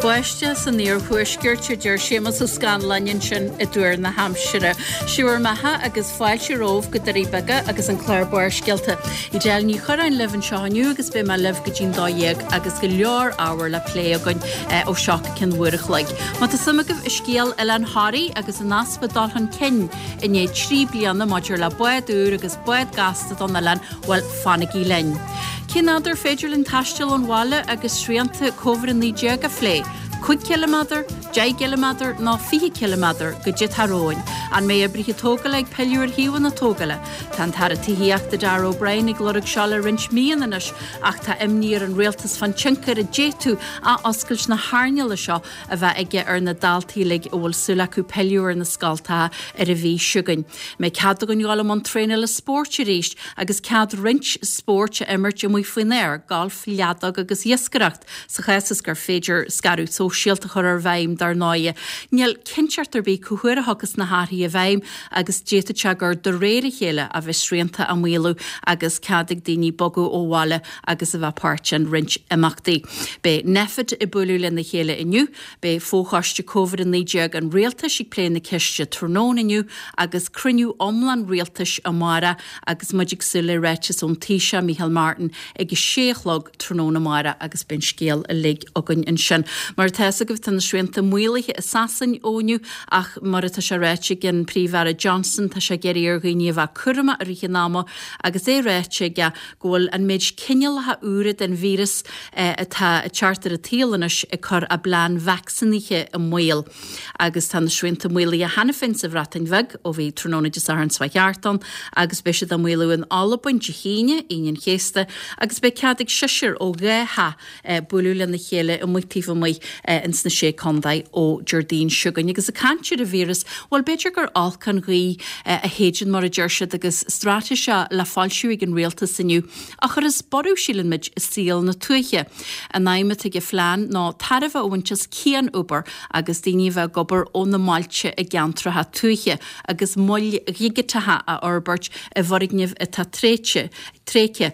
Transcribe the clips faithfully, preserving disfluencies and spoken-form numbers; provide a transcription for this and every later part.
Báisteach san iarthuaisceart a deir Séamus Ó Scanláin ansin i dtuar na haimsire. Sé bhur mbeatha agus fáilte romhaibh go Doirí Beaga agus an clár Barrscéalta. Edel Ní Churráin libh anseo inniu agus beidh mé libh go dtí'n dó dhéag agus go leor ábhar le plé againn eh, ó seo go ceann uair a chloig. Má tá suim agaibh i scéal Oileán Thoraí agus an easpa dul chun cinn i ndiaidh trí bliana maidir le bád úr agus bád gasta don oileán, bhuel fanaigí linn. Cén fhad ar féidir linn taisteal ón bhaile agus srianta Covid a naoi déag a phlé. Cúig ciliméadar, deich gciliméadar nó fiche ciliméadar goidé atá romhainn. An mbeidh oibrithe tógála ag pilleadh ar shuíomhanna na tógála. Tá an tAire Tithíochta Darragh O'Brien ag lorg seo le roinnt míonna anois ach tá imní ar an rialtas fán tionchar a d'fhéadfadh athoscailt na hearnála seo a bheith aige ar na daltaí uilig a bhfuil súil acu pilleadh ar na scoltacha ar an mhí seo chugainn. Mbeidh cead againn dul i mbun traenála spóirt arís agus cead roinnt spóirt a imirt amuigh faoin aer, golf, leadóg agus iascaireacht, sa chás is gur féidir scaradh sóisialta a chur ar bhfeidhm dar ndóigh. Níl cinnteacht ar bith cá huair a thiocfas na hathruithe i bhfeidhm agus d'fhéadfadh sé gur de réir a chéile a bheas srianta á maolú agus cead ag daoine bogadh ó bhaile agus a bheith páirt in roinnt imeachtaí. Beidh Nphet ag bualadh lena chéile inniu, beidh Fochoiste Covid a naoi déag an rialtais ag plé na ceiste tráthnóna inniu agus cruinniú iomlán rialtais amárach agus muid ag súil le ráiteas ón Taoiseach Micheál Martin ag a sé a chlog tráthnóna amárach agus beidh an scéal uilig againn ansin. Mar atá agaibh tá na srianta maolaithe i Sasain ó inniu ach mar atá sé ráite ag an Príomh-Aire Johnson tá sé ag iarraidh ar dhaoine a bheith cúramach i rith an ama agus é ráite aige go bhfuil an méid cineálacha úra den víreas eh, atá ag teacht ar an tsaol anois ag cur a bplean vacsaínithe i mbaol. Agus tá na srianta maolaithe cheana féin sa Bhreatain Bheag ó bhí tráthnóna Dé Sathairn seo thart ann agus beidh siad á maolú in Albain Dé hAoine, Aoine an Chéasta, agus beidh cead ag seisear ó dhá theach eh, bualadh lena chéile amuigh taobh amuigh eh, ins na sé contae ó Déardaoin seo chugainn. Agus ag caint ar an víreas, well b'fhéidir gur olc an ghaoth eh, a shéideann mar a deir siad agus straitéis le foilsiú ag an rialtas inniu a chuirfeas borradh síleann muid i saol na tuaithe. An aidhm atá ag an phlean ná tairbhe a bhaint as cian-obair agus daoine a bheith ag obair ó na mbailte i gceantracha tuaithe agus moil dhigiteacha a fhorbairt i bhfoirgnimh atá tréite tréigthe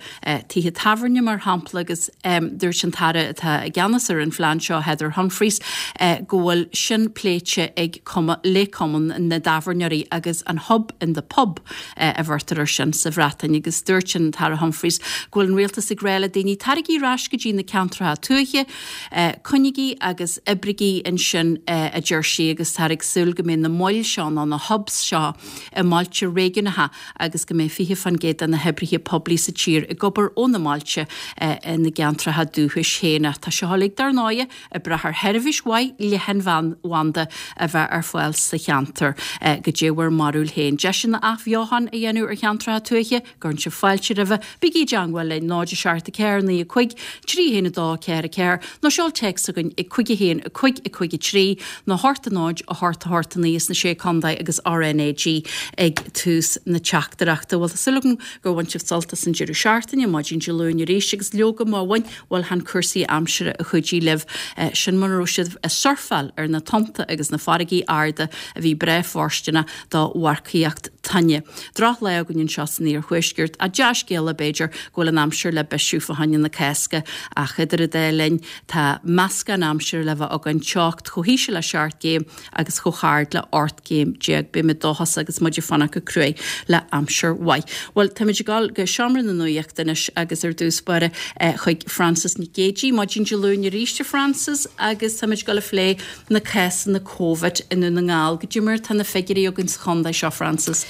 tithe tábhairne mar shampla agus um, dúirt an tAire atá i gceannas ar an phlean seo Heather Humphreys uh, go bhfuil sin pléite ag cuma le cumann na dtábhairneoirí agus an hub in the pub uh, a bheirtear air sin sa Bhreatain agus dúirt an tAire Humphreys go bhfuil an rialtas ag rá le daoine taraigí ar ais go dtí na ceantracha tuaithe, uh, coinnigí agus oibrigí ansin uh, a deir sí agus tá ag súil go mbeidh na moil seo ná na hubs seo i mbailte réigiúnacha agus go mbeidh fiche faoin gcéad de na hoibrithe poiblí sa tír ag obair ó na mbailte uh, ina gceantracha dúchais féin. Tá seo uilig dar ndóigh ag brath ar sheirbhís mhaith leathanbhanda a bheith ar fáil sa cheantar uh, goidé bhur mbarúil féin. Deiseanna athbheochan a dhéanamh ar cheantracha tuaithe, cuireann sibh fáilte roimhe, bígí i dteagmháil linn náid a seacht a ceathair naoi a cúig, trí haon a dó ceathair a ceathair, nó seol téacs chugainn ag cúig a haon a cúig a cúig a trí nó hocht a náid a hocht a hocht a naoi sna sé contae agus RnaG ag tús na teachtaireachta. Bhuel tá súil agam gur bhain sibh sult as an deireadh seachtaine maidin Dé Luain arís agus leoga má bhain bhuel chan cúrsaí aimsire a chuidigh libh eh, sin mura raibh sibh ag surfáil ar na tonnta agus na farraigí arda a bhí breá fóirsteanach do mharcaíocht toinne. Drochlá againn anseo san iarthuaisceart a dea-scéala b'fhéidir go bhfuil an aimsir le bisiú fá choinne na Cásca ach idir an dá linn tá meascán aimsire le bheith againn teocht chomh híseal le seacht gcéim agus chomh hard le ocht gcéim déag beimid dóchasach agus muid ag fanacht go cruaidh le aimsir mhaith. Well táimid ag dul go seomra na nuachta anois agus ar dtús báire eh, chuig Francis Nic Géadaigh, Maidin Dé Luain arís Francis agus táimid ag dul a phlé na cásanna Covid i nDún na nGall. Goidé mar tá na figiúirí againn sa chontae seo Francis.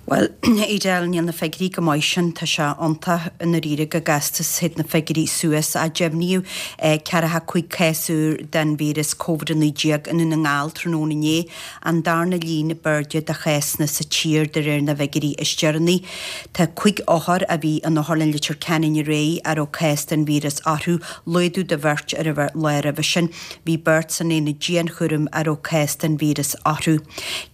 Well Edel níl na figiúirí go maith sin tá sé iontach i ndáiríre go gasta théid na figiúirí suas a deimhníodh ceathracha cúig cás úr den víreas Covid a naoi déag i nDún na nGall tráthnóna inné an darna líon ab airde de chásanna sa tír de réir na bhfigiúirí is deireanaí. Tá cúig othar a bhí in Otharlann Leitir Ceanainn aréir a raibh cás den víreas orthu, laghdú de bheirt ar an lá roimhe sin, bhí beirt san aonad dianchúraim a raibh cás den víreas orthu.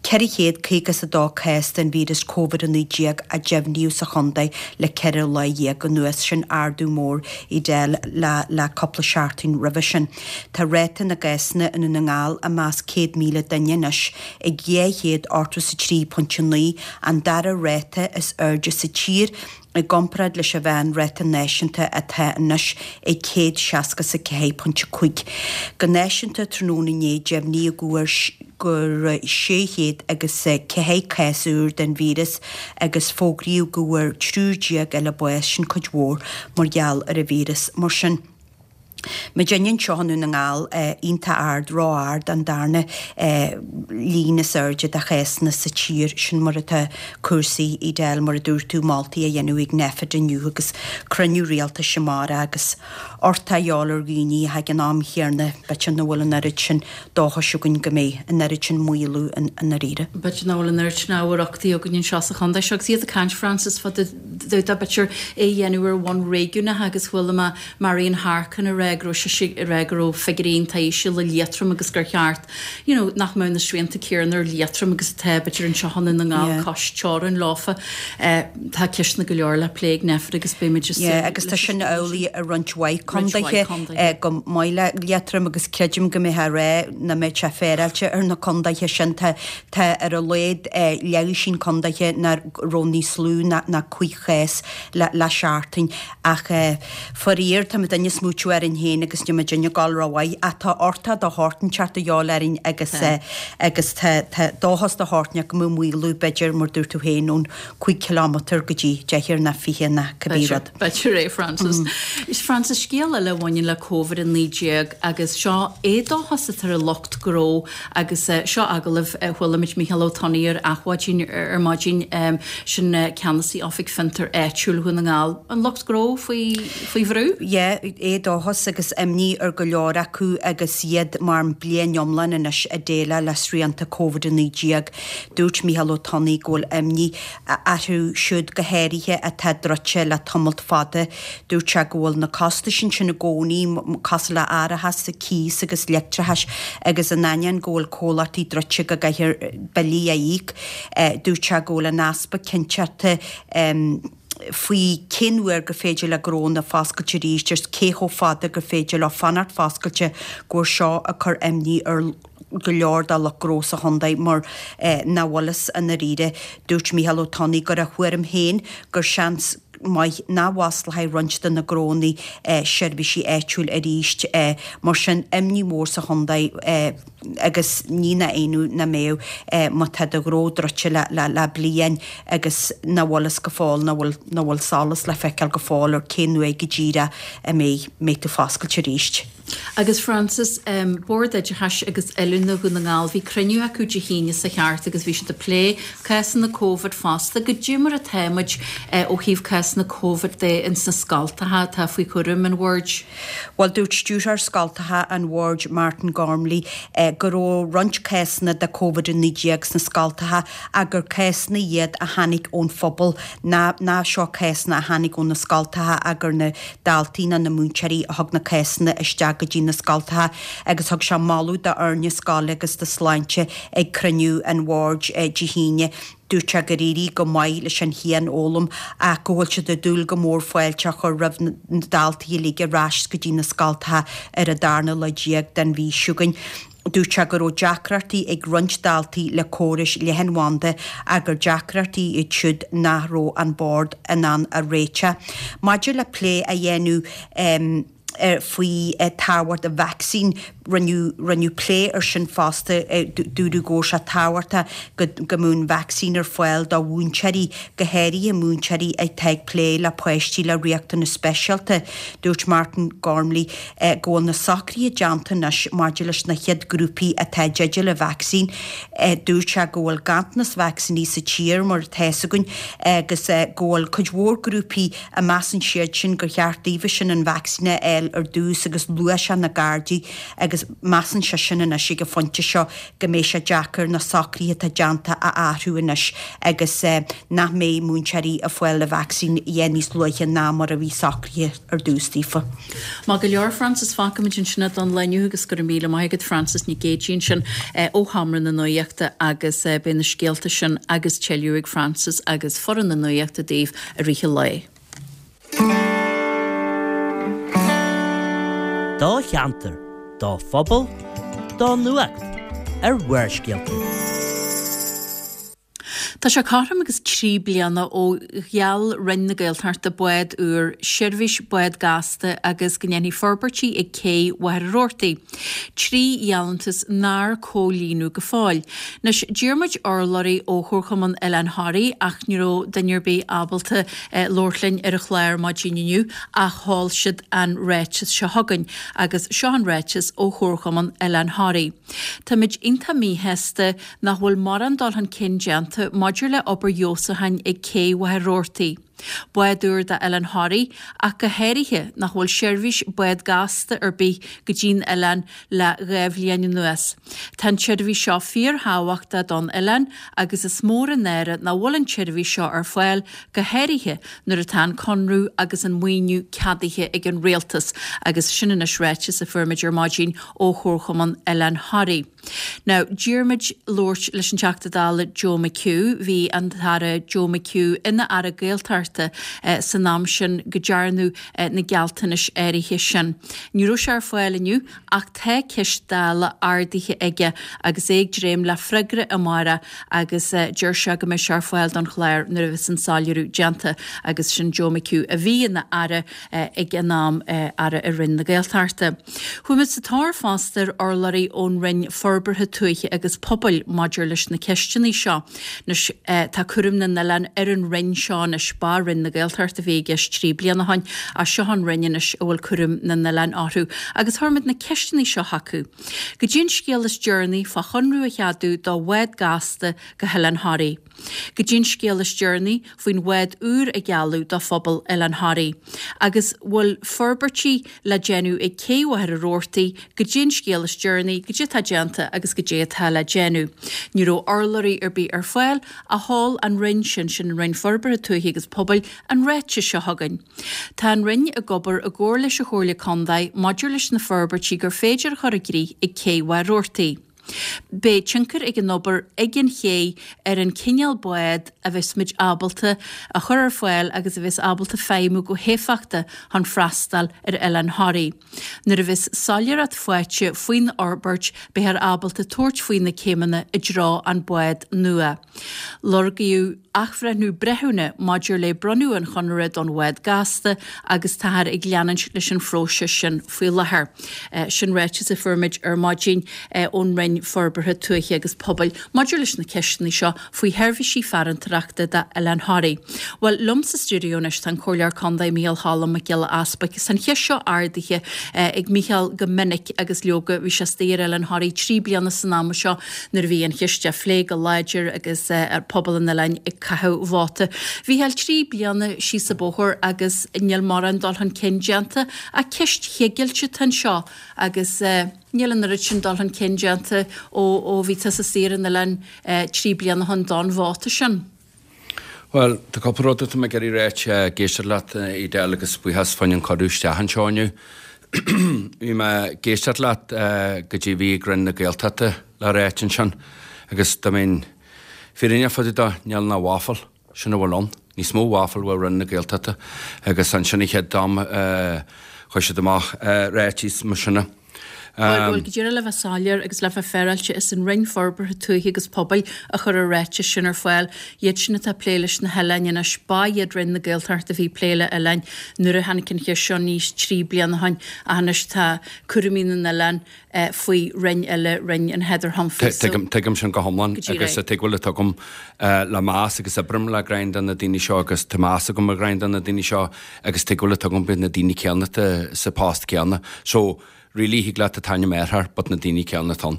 Ceithre chéad caoga is a dó cás den víreas Covid a naoi déag a deimhníodh sa chontae le ceithre lá dhéag anuas, sin ardú mór Edel le le cúpla seachtain roimhe sin. Tá ráta na gcásanna i nDún na nGall i measc céad míle duine anois ag dhá chéad ochtó is a trí pointe naoi, an dara ráta is airde sa tír i gcomparáid leis an mheánráta náisiúnta atá anois ag céad seasca is a ceathair pointe cúig. Go náisiúnta tráthnóna inné deimhníodh go bhfuair go raibh sé chéad agus ceathair cás úr den víreas agus fógraíodh go bhfuair triúr déag eile bás, sin cuid mhór mar gheall ar an víreas. Mar sin, muidinne anseo i nDún na nGall iontach ard, ró-ard, an darna líon is airde de chásanna sa tír, sin mar atá cúrsaí, Edel, mar a dúirt tú, moltaí á dhéanamh ag Nphet inniu agus cruinniú rialtais amárach agus uchtach a dhíobháil ar dhaoine ach ag an am chéanna b'fhéidir nach bhfuil an oiread sin dóchais againn go mbeidh an oiread sin maolú i ndáiríre. B'fhéidir nach bhfuil an oiread sin ábhar uchtaigh againn anseo sa chontae seo agus iad ag caint, Frances, fá dtaobh de b'fhéidir é a dhéanamh ar bhonn réigiúnach agus chuala mé Marian Harkin ag rá go raibh sise ag rá go raibh figiúirí iontach íseal i Liatroim agus gur cheart you know nach mbeadh na srianta céanna ar Liatroim agus atá b'fhéidir anseo i nDún na nGall cois teorann leofa. Tá ceisteanna go leor le plé ag Nphet agus beimid ag súil Yeah agus tá sin amhlaidh i roinnt mhaith condaethe chomh maith le Liatroim agus creidim go mbeifeá ag rá nach mbeadh sé féaráilte ar na condaethe sin. Tá tá ar a laghad leathdhosaen condaethe nach raibh níos lú ná ná cúig chás le le seachtain ach faraor tá muidinne ag smaoitiú orainn féin agus níl muidinne ag dul rómhaith ach tá uchtach de shórt inteacht a dhíobháil orainn agus agus tá tá dóchas de shórt inteacht go mbeadh maolú b'fhéidir mar dúirt tú féin ón cúig kilometre go dtí deichniúr ná fiche ná cibé rud. B'fhéidir é Frances. Is Frances scéal eile a bhaineann le Covid a naoi déag agus seo éadóchas atá ar lucht gnó agus seo agallamh a chuala muid Micheál Ó Tonnaigh ar Adhmhaidin ar maidin sin ceannasaí Oifig Fiontar Áitiúil Dhún na nGall. An lucht gnó faoi faoi bhrú? Yeah, éadóchas agus imní ar go leor acu agus iad mar bliain iomlán anois ag déileáil le srianta Covid a naoi déag. Dúirt Micheál Ó Tonnaigh go bhfuil imní orthu siúd go háirithe atá druidte le tamalt fada. Dúirt sé go bhfuil na costais ansin i gcónaí, cosúil le árachas, cíos agus leictreachas agus in ainneoin go bhfuil comhlachtaí druidte go gcaithfear billí a íoc. Dúirt sé go bhfuil an easpa cinnteachta faoi cén uair gur féidir le gnónna foscailt arís agus cé chomh fada gur féidir leo fanacht foscailte go bhfuil seo ag cur imní ar go leor de lucht gnó sa chontae mar nach bhfuil fhios i ndáiríre. Dúirt Micheál Ó Tonnaigh gur a thuairim féin gur seans maith nach bhfosclóidh roinnt de na gnónna seirbhísí áitiúil arís. Mar sin, imní mhór sa chontae agus ní nach ionadh nach mbeadh má tá do ghnó druidte le le bliain agus nach bhfuil fhios go fóill, nach bhfuil nach bhfuil solas le feiceáil go fóill ar cén uair go díreach a mbeidh mbeidh tú foscailte arís. Agus Frances, Bord Oideachais agus Oiliúna Dhún na nGall, bhí cruinniú acu Dé hAoine seo thart agus bhí siad ag plé cásanna Covid fosta. Goidé mar atá muid ó thaobh cásanna Covid de ins na scoltacha atá faoi chúram an Bhoird? Bhuel, dúirt Stiúrthóir Scoltacha an Bhoird, Martin Gormley, go raibh roinnt cásanna de Covid a naoi déag sna scoltacha ach gur cásanna iad a tháinig ón phobal, ná ná seo cásanna a tháinig ó na scoltacha ach gur na daltaí ná na múinteoirí a thug na cásanna isteach go dtí na scoltacha agus thug sé moladh d'fhoirne scoile agus do sláinte ag cruinniú an bhoird Dé hAoine. Dúirt sé gur éirigh go maith leis an chianfhoghlaim ach go bhfuil siad ag dúil go mór fáilte a chur roimh na daltaí uilig ar ais go dtí na scoltacha ar an darna lá déag den mhí seo chugainn. Dúirt sé go raibh deacrachtaí ag roinnt daltaí le córais leathanbhanda ach gur deacrachtaí iad siúd nach raibh an Bord in ann a réiteach. Maidir le plé a dhéanamh faoi tábhacht an vacsaín, rinneadh rinneadh plé ar sin fosta. Dúradh go raibh sé tábhachtach go go mbeadh an vacsaín ar fáil do mhúinteoirí, go háirithe múinteoirí atá ag plé le páistí le riachtanais speisialta. Dúirt Martin Gormley go bhfuil na socruithe déanta anois maidir leis na chéad grúpaí atá i dteideal an vacsaín. Dúirt sé go bhfuil ganntanas vacsaíní sa tír mar atá fhios againn agus go bhfuil cuid mhór grúpaí a measann siad sin gur cheart daofa sin an vacsaín a fháil ar dtús agus luaigh sé na Gardaí agus agus measann seisean anois ag an phointe seo go mbeidh sé deacair na socruithe atá déanta a athrú anois agus nach mbeidh múinteoirí ag fáil an vacsaín níos luaithe ná mar a bhí socraithe ar dtús daofa. Maith go leor Frances fágfaimid ansin don lá inniu agus go raibh míle maith agat Frances Nic Géadaigh ansin ó Sheomra na Nuachta agus beidh na scéalta sin agus tuilleadh ag Frances agus foireann na Nuachta daoibh i rith an lae. Do cheantar, do phobal, do nuacht ar Bharrscéalta. Tá sé cothrom agus trí bliana ó gheall Roinn na Gaeltachta bád úr, seirbhís bád gasta agus go ndéanfaí forbairtí ag cé Mhachaire Rabhartaigh. Trí gheallúntas nár comhlíonadh go fóill. Anois, d'iarr muid urlabhraí ó Chomharchumann Oileán Thoraí ach ní raibh duine ar bith ábalta labhairt linn ar an chlár maidin inniu ach sheol siad an ráiteas seo chugainn agus seo an ráiteas ó Chomharchumann Oileán Thoraí. Táimid iontach míshásta nach bhfuil mórán dul chun cinn déanta maidir le obair fheabhsúcháin ag cé Mhachaire Rabhartaigh. Bád úr d'Oileán Thoraí ach go háirithe nach bhfuil seirbhís bád gasta ar bith go dtí'n oileán le dhá bhliain anuas. Tá an tseirbhís seo fíorthábhachtach don oileán agus is mór an náire nach bhfuil an tseirbhís seo ar fáil go háirithe nuair atá an conradh agus an maoiniú ceadaithe ag an rialtas agus sin anois ráiteas a fuair muid ar maidin ó Chomharchumann Oileán Thoraí. Now, d'iarr muid labhairt leis an Teachta Dála Joe McHugh, bhí an tAire Joe McHugh ina Aire Gaeltachta san am sin go ndearnadh na gealltanais áirithe sin. Ní raibh sé ar fáil inniu ach tá ceist Dála ardaithe aige agus é ag dréim le freagra amárach agus deir sé go mbeidh sé ar fáil don chlár nuair a bheas an soiléiriú déanta agus sin Joe McHugh a bhí ina aire ag an am aire i Roinn na Gaeltachta. Chuaigh muid sa tóir fosta ar urlabhraí ón Roinn Forbartha Tuaithe agus Pobail maidir leis na ceisteanna seo. Anois tá cúram na n-oileán ar an Roinn seo anois ba Roinn na Gaeltachta a bhí i gceist trí bliana ó shin ach seo an Roinn anois a bhfuil cúram na n-oileán orthu agus chuir muid na ceisteanna seo chucu. Goidé an scéal is deireanaí fá chonradh a cheadú do bhád gasta go hOileán Thoraí. Goidé an scéal is deireanaí faoin bhád úr a gealladh do phobal Oileán Thoraí. Agus bhfuil forbairtí le déanamh ag cé Mhachaire Rabhartaigh, goidé an scéal is deireanaí, goidé atá déanta agus goidé atá le déanamh. Ní raibh urlabhraí ar bith ar fáil ach sheol an Roinn sin, sin an Roinn Forbartha Tuaithe agus Pobail, an ráiteas seo chugainn. Tá an Roinn ag obair i gcomhar leis an Chomhairle Contae maidir leis na forbairtí gur féidir a chur i gcrích ag cé Mhachaire Rabhartaigh. Beidh tionchar ag an obair ag an ché ar an cineál bád a bheas muid ábalta a chur ar fáil agus a bheas ábalta feidhmiú go héifeachtach chun freastal ar Oileán Thoraí. Nuair a bheas soiléireacht faighte faoin fhorbairt beifear ábalta tabhairt faoi na céimeanna i dtreo an bád nua. Lorgaíodh athbhreithniú breithiúna maidir le bronnadh an chonartha don bhád gasta agus táthar ag leanúint leis an phróiseas sin faoi láthair. Sin ráiteas a fuair muid ar maidin ón Roinn Forbartha Tuaithe agus Pobail maidir leis na ceisteanna seo faoi sheirbhísí farantóireachta d'Oileán Thoraí. Bhuel, liom sa stiúideo anois tá an Comhairleoir Contae Micheál Cholm Mac Giolla Easbuic. Is an cheist seo ardaithe ag Micheál go minic agus leoga bhí sé istigh ar Oileán Thoraí trí bliana san am seo nuair a bhí an cheist á phlé go láidir agus ar pobal an oileáin ag caitheamh vóta. Mhichíl trí bliana síos an bóthar agus níl mórán dul chun cinn déanta ach ceist chigilte atá anseo agus níl an oiread sin dul chun cinn déanta ó ó bhí tusa istigh ar an oileán trí bliana ó shin don vóta sin. Bhuel, tá cúpla rud atá mé ag iarraidh ráit ag éisteacht leat, Edel, agus buíochas fá choinne an cuireadh isteach anseo inniu. Bhí mé ag éisteacht leat goidé a bhí ag Roinn na Gaeltachta le ráit ansin agus dá mbeinn fírinneach fá dtaobh dó, níl ná waffle, sin a bhfuil ann. Níos mó waffle uaidh Roinn na Gaeltachta agus ansin an chéad am chuir siad amach ráitis mar sin. Bhuel, go díreach le bheith soiléir agus le bheith féaráilte, is an Roinn Forbartha Tuaithe agus Pobail a chuir an ráiteas sin ar fáil. Iad sin atá ag plé leis na hoileáin anois. Ba iad Roinn na Gaeltachta a bhí ag plé le hoileáin nuair a tháinig an cheist seo aníos trí bliana ó shin ach anois tá cúraimí na n-oileán faoi roinn eile, Roinn an Heather Humphreys. Tuigim, tuigim sin go hiomlán agus tuig bhfuil agam le meas agus oibrím le roinnt de na daoine seo agus tá meas agam ar roinnt de na daoine seo agus tuig bhfuil agam na daoine céanna sa post céanna. So really thig leat an t-ainm a athrú but na daoine céanna atá ann.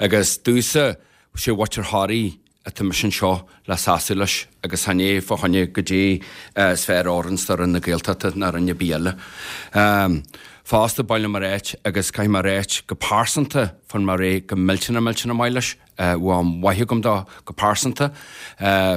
Agus domhsa sé mhuintir Thoraí atá mise anseo le seasamh leis agus chan é fá choinne goidé is fearr a oireanns do Roinn na Gaeltachta ná roinn ar bith eile. Um, Fosta ba mhaith liom a ráit agus caithfidh mé a ráit go pearsanta fuair mé réidh go millteanach millteanach maith leis. Bhí am mhaith agam dó go pearsanta.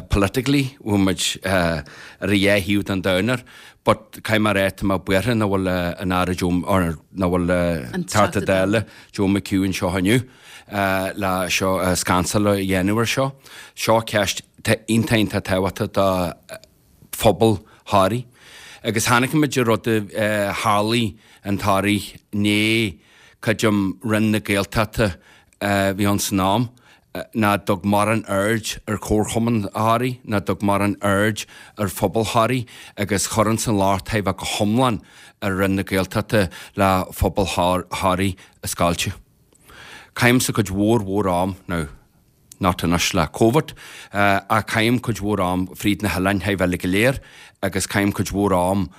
Politically bhí muid ar a dhá thaobh den domhan air but caithfidh mé a ráit tá mé buartha nach bhfuil an Aire Joe or nach bhfuil an Teachta Dála Joe McHugh anseo inniu le seo scansáil a dhéanamh ar seo. Seo ceist iontach iontach tábhachtach do phobal Thoraí. Agus chonaic muid an rud a tharlaigh in Toraigh inné creidim Roinn na Gaeltachta a bhí ann san am, ná dtug mórán aird ar Chomharchumann Thoraí, ná dtug mórán aird ar phobal Thoraí agus chuir ins an locht a bheith go hiomlán ar Roinn na Gaeltachta le phobal Thoraí a scoilteadh. Caithimse cuid mhór mhór am, now, not anois le Covid, ach caithim cuid mhór am fríd na hoileáin thar bheith go léir agus caithim cuid mhór am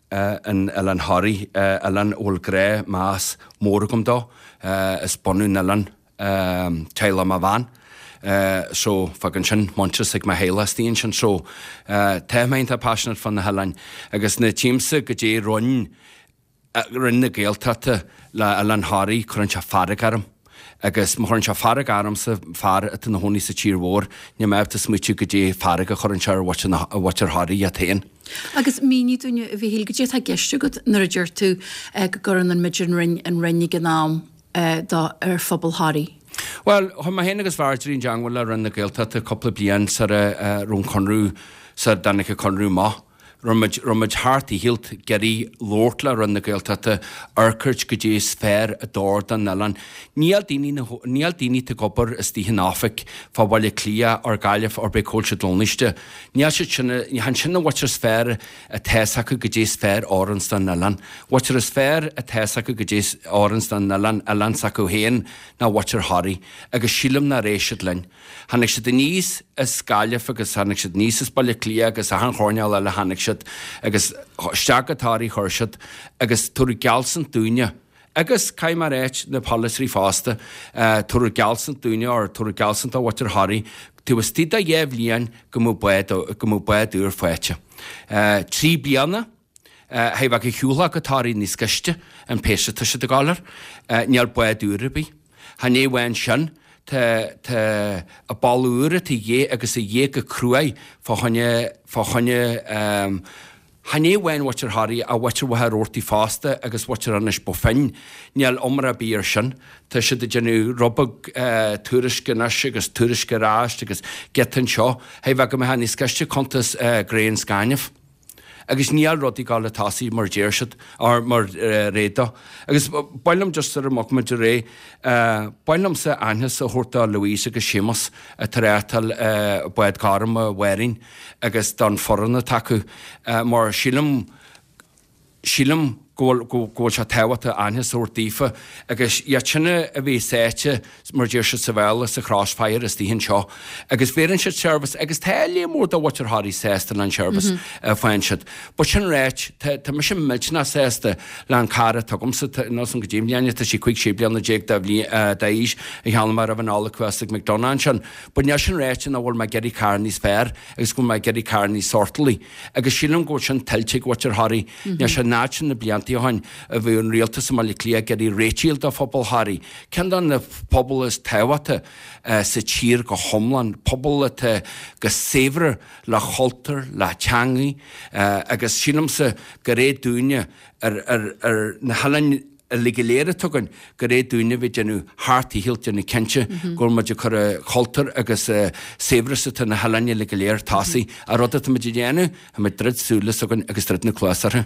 in Oileán Thoraí, oileán a bhfuil grá, meas mór agam dó. Is bunadh an oileáin teaghlach mo bhean. So fágann sin muintearas ag mo theaghlach istigh ansin. So tá mé iontach passionate fá na hoileáin agus nuair a tchímse goidé rinne Roinn na Gaeltachta le Oileán Thoraí, cuireann sé fearg orm. Agus má chuireann sé fearg ormsa, fear atá ina chónaí sa tír mhór, níl mé ábalta smaoitiú goidé fearg a chuireann sé ar mhuintir Thoraí iad féin. Agus mínigh dúinne, a Mhichíl, goidé atá i gceist agat nuair a deir tú go gcuireann an muid an Roinn an Roinn ag an am do ar phobal Thoraí? Bhuel, chuaigh mé féin agus Marjorie i dteangmháil le Roinn na Gaeltachta cúpla bliain sara raibh an conradh, sara dtáinig an conradh amach. Raibh muid, raibh muid thar dícheall ag iarraidh labhairt le Roinn na Gaeltachta, amharc goidé is fearr a d'fhóir don oileán. Níl daoine na, níl daoine atá ag obair istigh in oifig fá Bhaile Átha Cliath or Gaillimh or b'é cá bhfuil siad lonnaiste. Níl siad sin, ní hann sin an mhuintir is fearr atá fhios acu goidé is fearr a oireanns don oileán. Mhuintir is fearr atá fhios acu goidé is oireanns don oileán, oileán s'acu féin ná mhuintir Thoraí. Agus sílim nár éist siad linn. Tháinig siad aníos as Gaillimh agus tháinig siad aníos as Baile Átha Cliath agus achan choirnéal eile tháinig siad agus isteach go Toraigh chuir siad agus tabhaireadh geallsint dúinne agus caithfidh mé a ráit na polaiteoirí fosta, tabhaireadh geallsint dúinne or tabhaireadh geallsint do mhuintir Thoraí taobh istigh de dheich bhliain go mbeadh bád go mbeadh bád úr faighte. Trí bliana hé bheadh a shiúlfá go Toraigh níos gaiste an pace atá siad ag dul air. Níl bád úr ar bith. Chan é amháin sin, tá tá a ball úr atá a dhíth agus a dhíth go cruaidh fá choinne fá choinne chan é amháin mhuintir Thoraí ach mhuintir Mhachaire Rabhartaigh fosta agus mhuintir Inis Bó Finne. Níl iomrá ar bith air sin. Tá siad ag déanamh rud beag tuairisc anois agus tuairisc ar ais agus giota anseo. Hé bheadh go mbeadh níos gaiste cuntas grain 's gaineamh. Agus níl rudaí ag dul a tosaí mar deir siad, or mar réidh dó. Agus ba mhaith liom just sar a mbeadh muid ar aghaidh, ba mhaith liomsa aitheantas a thabhairt do Louise agus Séamus atá ag reáchtáil Bád Gorm a Mháirín agus don foireann atá acu mar sílim, sílim go bhfuil, go bhfuil sé tábhachtach aitheantas a thabhairt daofa agus iad sin a bhí sáite, mar deir siad sa Bhéarla, sa crossfire istigh anseo agus bheireann siad seirbhís agus tá léar mór de mhuintir Thoraí sásta le an seirbhís a faigheann siad. But sin ráite, tá, tá mise millteanach sásta le an carr atá agamsa, tá, níl 's agam goidé mbliana, tá sí cúig sé bliana déag de bhliain, d'aois a cheannaigh mé roimh an Nollaig thuas ag McDonagh ansin. But níl sin ráite nach bhfuil mé ag iarraidh carr níos fearr agus go bhfuil mé ag iarraidh carr níos sortálaí. Agus sílim go bhfuil sin tuillte ag mhuintir Thoraí. Níl sé in áit sin na blianta ó shin a bhí an rialtas i mBaile Átha Cliath ag iarraidh réitíl do phobal Thoraí, ceann de na pobail is tábhachta sa tír go hiomlán, pobal atá go saibhir le chultúr, le teangaidh agus sílimse gur é dúinne ar ar na hoileáin uilig go léir atá againn, gur é dúinne a bheith ag déanamh thar dícheall déanamh cinnte go bhfuil muid ag cur an chultúr agus saibhreas atá na hoileáin uilig go léir tosaigh. An rud atá muid a dhéanamh, tá muid druid súile s'againn agus druid na cluas orthu.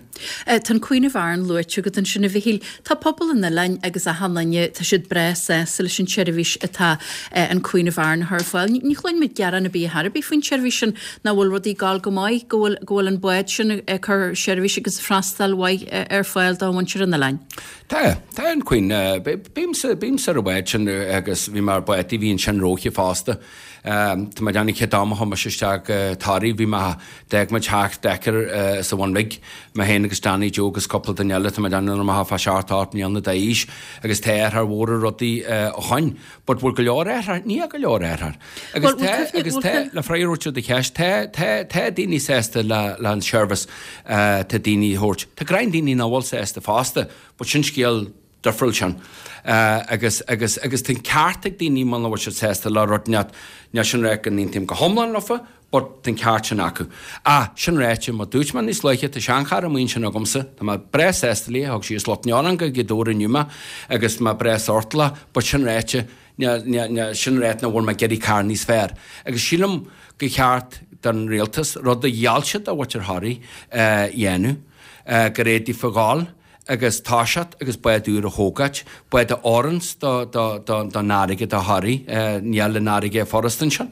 Tá an Queen of Aran luaite agat ansin a Mhichíl. Tá pobal an oileáin agus achan duine, tá siad breá sásta leis an tseirbhís atá an Queen of Aran a chur ar fáil. Ní chluin muid gearán ar bith ar bith faoin tseirbhís sin, nach bhfuil rudaí ag gabháil go maith, go bhfuil go bhfuil an bád sin ag cur seirbhís agus freastal mhaith ar fáil do mhuintir an oileáin. Tá, tá an Queen. Bímse, bímse ar an bhád sin agus bhí mé ar bád a bhí ansin róithe fosta. Tá mé ag déanamh chéad am a chuaigh mise isteach go Toraigh, bhí mé, d'fhág muid teach Decker sa Bhun Bhig, mé féin agus Danny Joe agus cúpla duine eile, tá mé ag déanamh nuair a bhí mé fá seacht ocht mbliana d'aois agus tá athrú mhór ar rudaí ó shoin. But bhfuil go leor athraithe? Níl go leor athraithe. Agus tá, agus tá, le freagra a thabhairt ar do cheist, tá, tá, tá daoine sásta le, le an seirbhís tá daoine a thabhairt. Tá greim daoine nach bhfuil sásta fosta, but sin scéal difriúil sin. Agus, agus, agus tá an ceart ag daoine muna bhfuil siad sásta le rud inteacht, níl sin ráite go n-aontaím go hiomlán leofa, but tá an ceart sin acu. Ah, sin ráite, mar dúirt mé níos luaithe, tá seancharr amuigh ansin agamsa, tá mé breá sásta léi, thug sí as Slut an go Gaoth Dobhair inniu mé, agus mé breá sort léi, but sin ráite, níl, níl, níl, sin ráite nach bhfuil mé ag iarraidh carr níos fearr. Agus sílim gur cheart don rialtas, rud a gheall siad do mhuintir Thoraí a dhéanamh, gur fhéadfaí fágáil agus toiseacht agus bád úr a thógáilt, bád a oireanns don fharraige do Thoraigh, níl an fharraige furast ansin,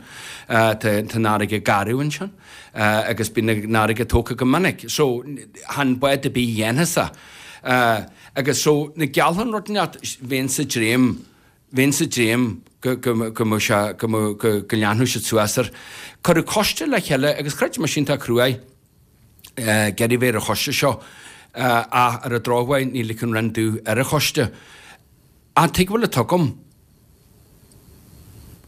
tá an fharraige garbh ansin agus bíonn an fharraige tógtha go minic. So, chan bád ar bith a dhéanfas é. Agus so, na gealltann rud inteacht, bheinn sa dréim, bheinn sa dréim go, go, go mbeadh sé, go mbeadh, go, go leanfadh siad suas air. Cuireadh coiste le chéile agus chreid mise iontach cruaidh ag iarraidh bheith ar an choiste seo ach ar an drochuair ní ligfidh an Roinn domh ar an choiste. An tuigbheáil atá agam?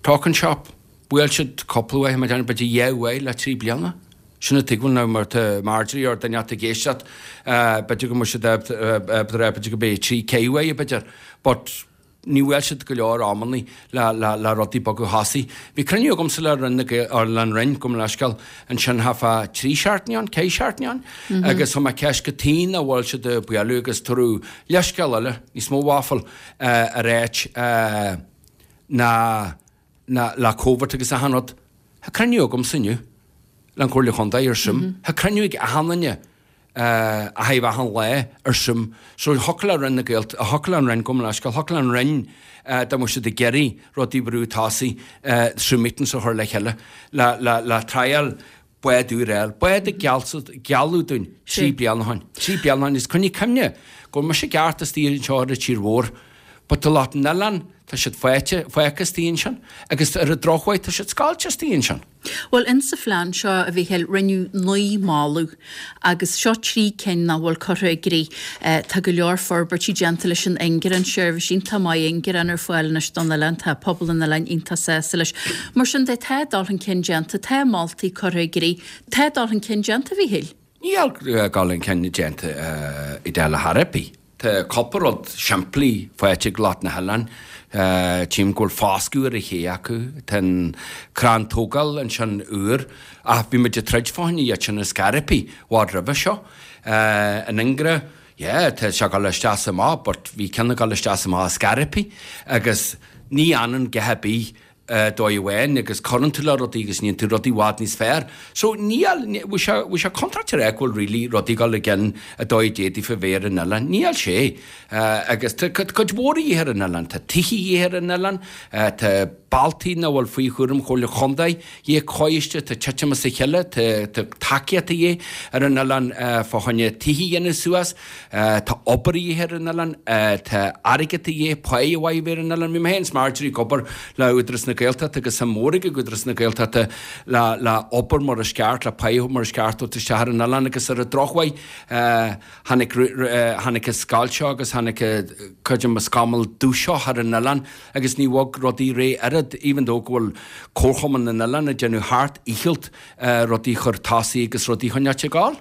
Talking shop. Bhuail siad cúpla uair, mar déarfainn b'fhéidir dhá uair le trí bliana. Sin an tuigbheáil now mar tá Marjorie or duine ag éisteacht b'fhéidir go mbeidh siad b'fhéidir go mbeidh trí ceithre uair b'fhéidir. But ní bhfuil siad go leor amannaí le, le, le rudaí bogadh thosaigh. Bhí cruinniú agamsa le Roinn na Gael, or le an Roinn, gabh mo leithscéal, ansin thart fá trí seachtaine ann, ceithre seachtaine ann, mm -hmm. agus chuir mé ceist cad chuige nach bhfuil siad ag bualadh agus tabhaireadh leithscéal eile, níos mó waffle, uh, ar áit uh, ná, ná le Covid agus achan rud. Tá cruinniú agamsa inniu le an Comhairle Chontae ar Zoom. Mm -hmm. Tá cruinniú ag achan duine a thaobh achan lá ar Zoom. So thiocfadh le Roinn na Gaelt, thiocfadh le an Roinn, gabh mo leithscéal, thiocfadh le an Roinn dá mbeadh siad ag iarraidh rudaí brú tosaigh Zoom meetings a chur le chéile le, le, le trial bád úr a fháil. Bád a gealladh dúinn trí bliana ó shoin. Trí bliana ó shoin. Is coinnigh cuimhne go bhfuil mise i gceart istigh anseo ar an tír mhór. But tá lucht an oileáin, tá siad fáite, fágtha istigh ansin agus ar an drochuair tá siad scoilte istigh ansin. Bhuel, insa phlean seo, a Mhíchíl, rinneadh naoi moladh agus seo trí cinn nach bhfuil curtha i gcrích. Tá go leor forbairtí déanta leis an ingearán, seirbhís iontach maith ingearán ar fáil anois don oileán, tá pobal an oileáin iontach sásta leis. Mar sin de, tá dul chun cinn déanta, tá moltaí curtha i gcrích, tá dul chun cinn déanta, a Mhíchíl. Níl dul chun cinn déanta i dtaobh le chor ar bith. Tá cúpla rud simplí faighte ag lucht na hoileáin. Tchím go bhfuil foscadh ar an ché acu. Tá an crann tógáil ansin úr ach bhí muid ag troid fá choinne iad sin ar scor ar bith i bhfad roimhe seo. An ingearán, yeah, tá sé ag dul isteach is amach but bhí ceann ag dul isteach is amach ar scor ar bith agus ní fhanann a dhath ar bith dóigh amháin agus cuireann tú le rudaí agus níonn tú rudaí i bhfad níos fearr. So níl, bhí sé, bhí sé contráilte a rá go bhfuil really rudaí ag dul i gcion a dóigh a d'fhéadfaí fá bheith ar an oileán. Níl sé. Agus tá cuid mhór a dhíth ar an oileán. Tá tithe a dhíth ar an oileán, tá bealtaí nach bhfuil faoi chúram Chomhairle Chontae a dhíth coiste, tá titim as a chéile, tá, tá tacaíocht a dhíth ar an oileán fá choinne tithe a dhéanamh suas. Tá obair a dhíth ar an oileán, tá airgead a dhíth, páighe mhaith a bheith ar an oileán. Bhí mé féin is Marjorie ag obair le Údarás na Gaeltachta agus suim mhór ag Údarás na Gaeltachta le le obair mar is ceart, le páighe mar is ceart a thabhairt isteach ar an oileán agus ar an drochuair tháinig tháinig an scoilt seo agus tháinig cuid de mo scamall dubh seo thar an oileán agus ní bhog rudaí réidh oiread even though go bhfuil Comharchumann na nOileán ag déanamh thart íchealt rudaí chur tosaigh agus rudaí choinneáilt ag gabháil.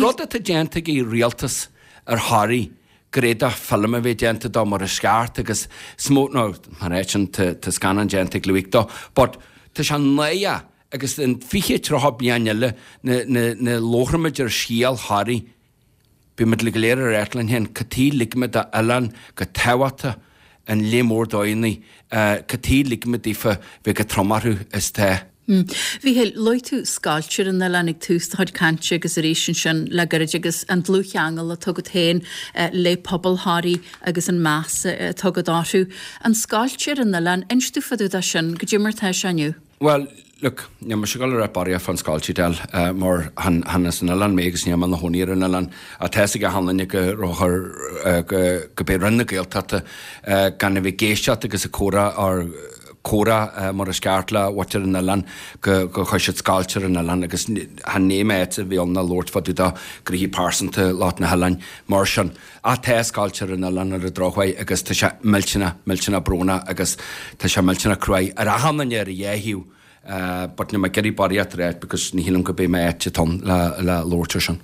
Rud atá déanta ag an rialtas ar Thoraigh gur fhéadfadh film a bheith déanta dó mar is ceart agus is mó nó mar é sin tá scannán déanta ag Louis dó but tá sé náireach agus in fiche tríocha bliain eile na labhróimid ar scéal Thoraí Beimid go léir ar eitleán féin, cad chuige ligimid do oileán chomh tábhachtach an léith mór dóigheanna, cad chuige ligimid daofa bheith chomh trom orthu is tá. Mhíchíl, luaigh tú scoilt ar an oileán ag tús do chuid cainte agus arís ansin le gairid agus an dlúthcheangal atá agat féin le pobal Thoraí agus an meas atá agat orthu. An scoilt ar an oileán, inis domh fá dtaobh de sin, goidé mar atá sé inniu. Bhuel, look, níl mise ag dul a rá barraíocht fán scoilt Edel, mar chan, chan as an oileán mé agus níl mé ina chónaí ar an oileán. Ach tá fhios ag achan duine go raibh chur, go, go b'é Roinn na Gaeltachta gan a bheith ag éisteacht agus ag comhrá or comhrá mar is ceart le muintir an oileáin go go chuir siad scoilt ar an oileán agus chan é a bhí ann ná labhairt fá dtaobh de ghnoithí pearsanta lucht na hoileáin mar sin. Ach tá scoilt ar an oileán ar an drochuair agus tá sé millteanach, millteanach brónach agus tá sé millteanach cruaidh ar achan duine ar a dhá thaobh. But níl mé ag iarraidh barraíocht a ráit because ní shílim go mbeidh mé áit ann le le labhairt ar sin.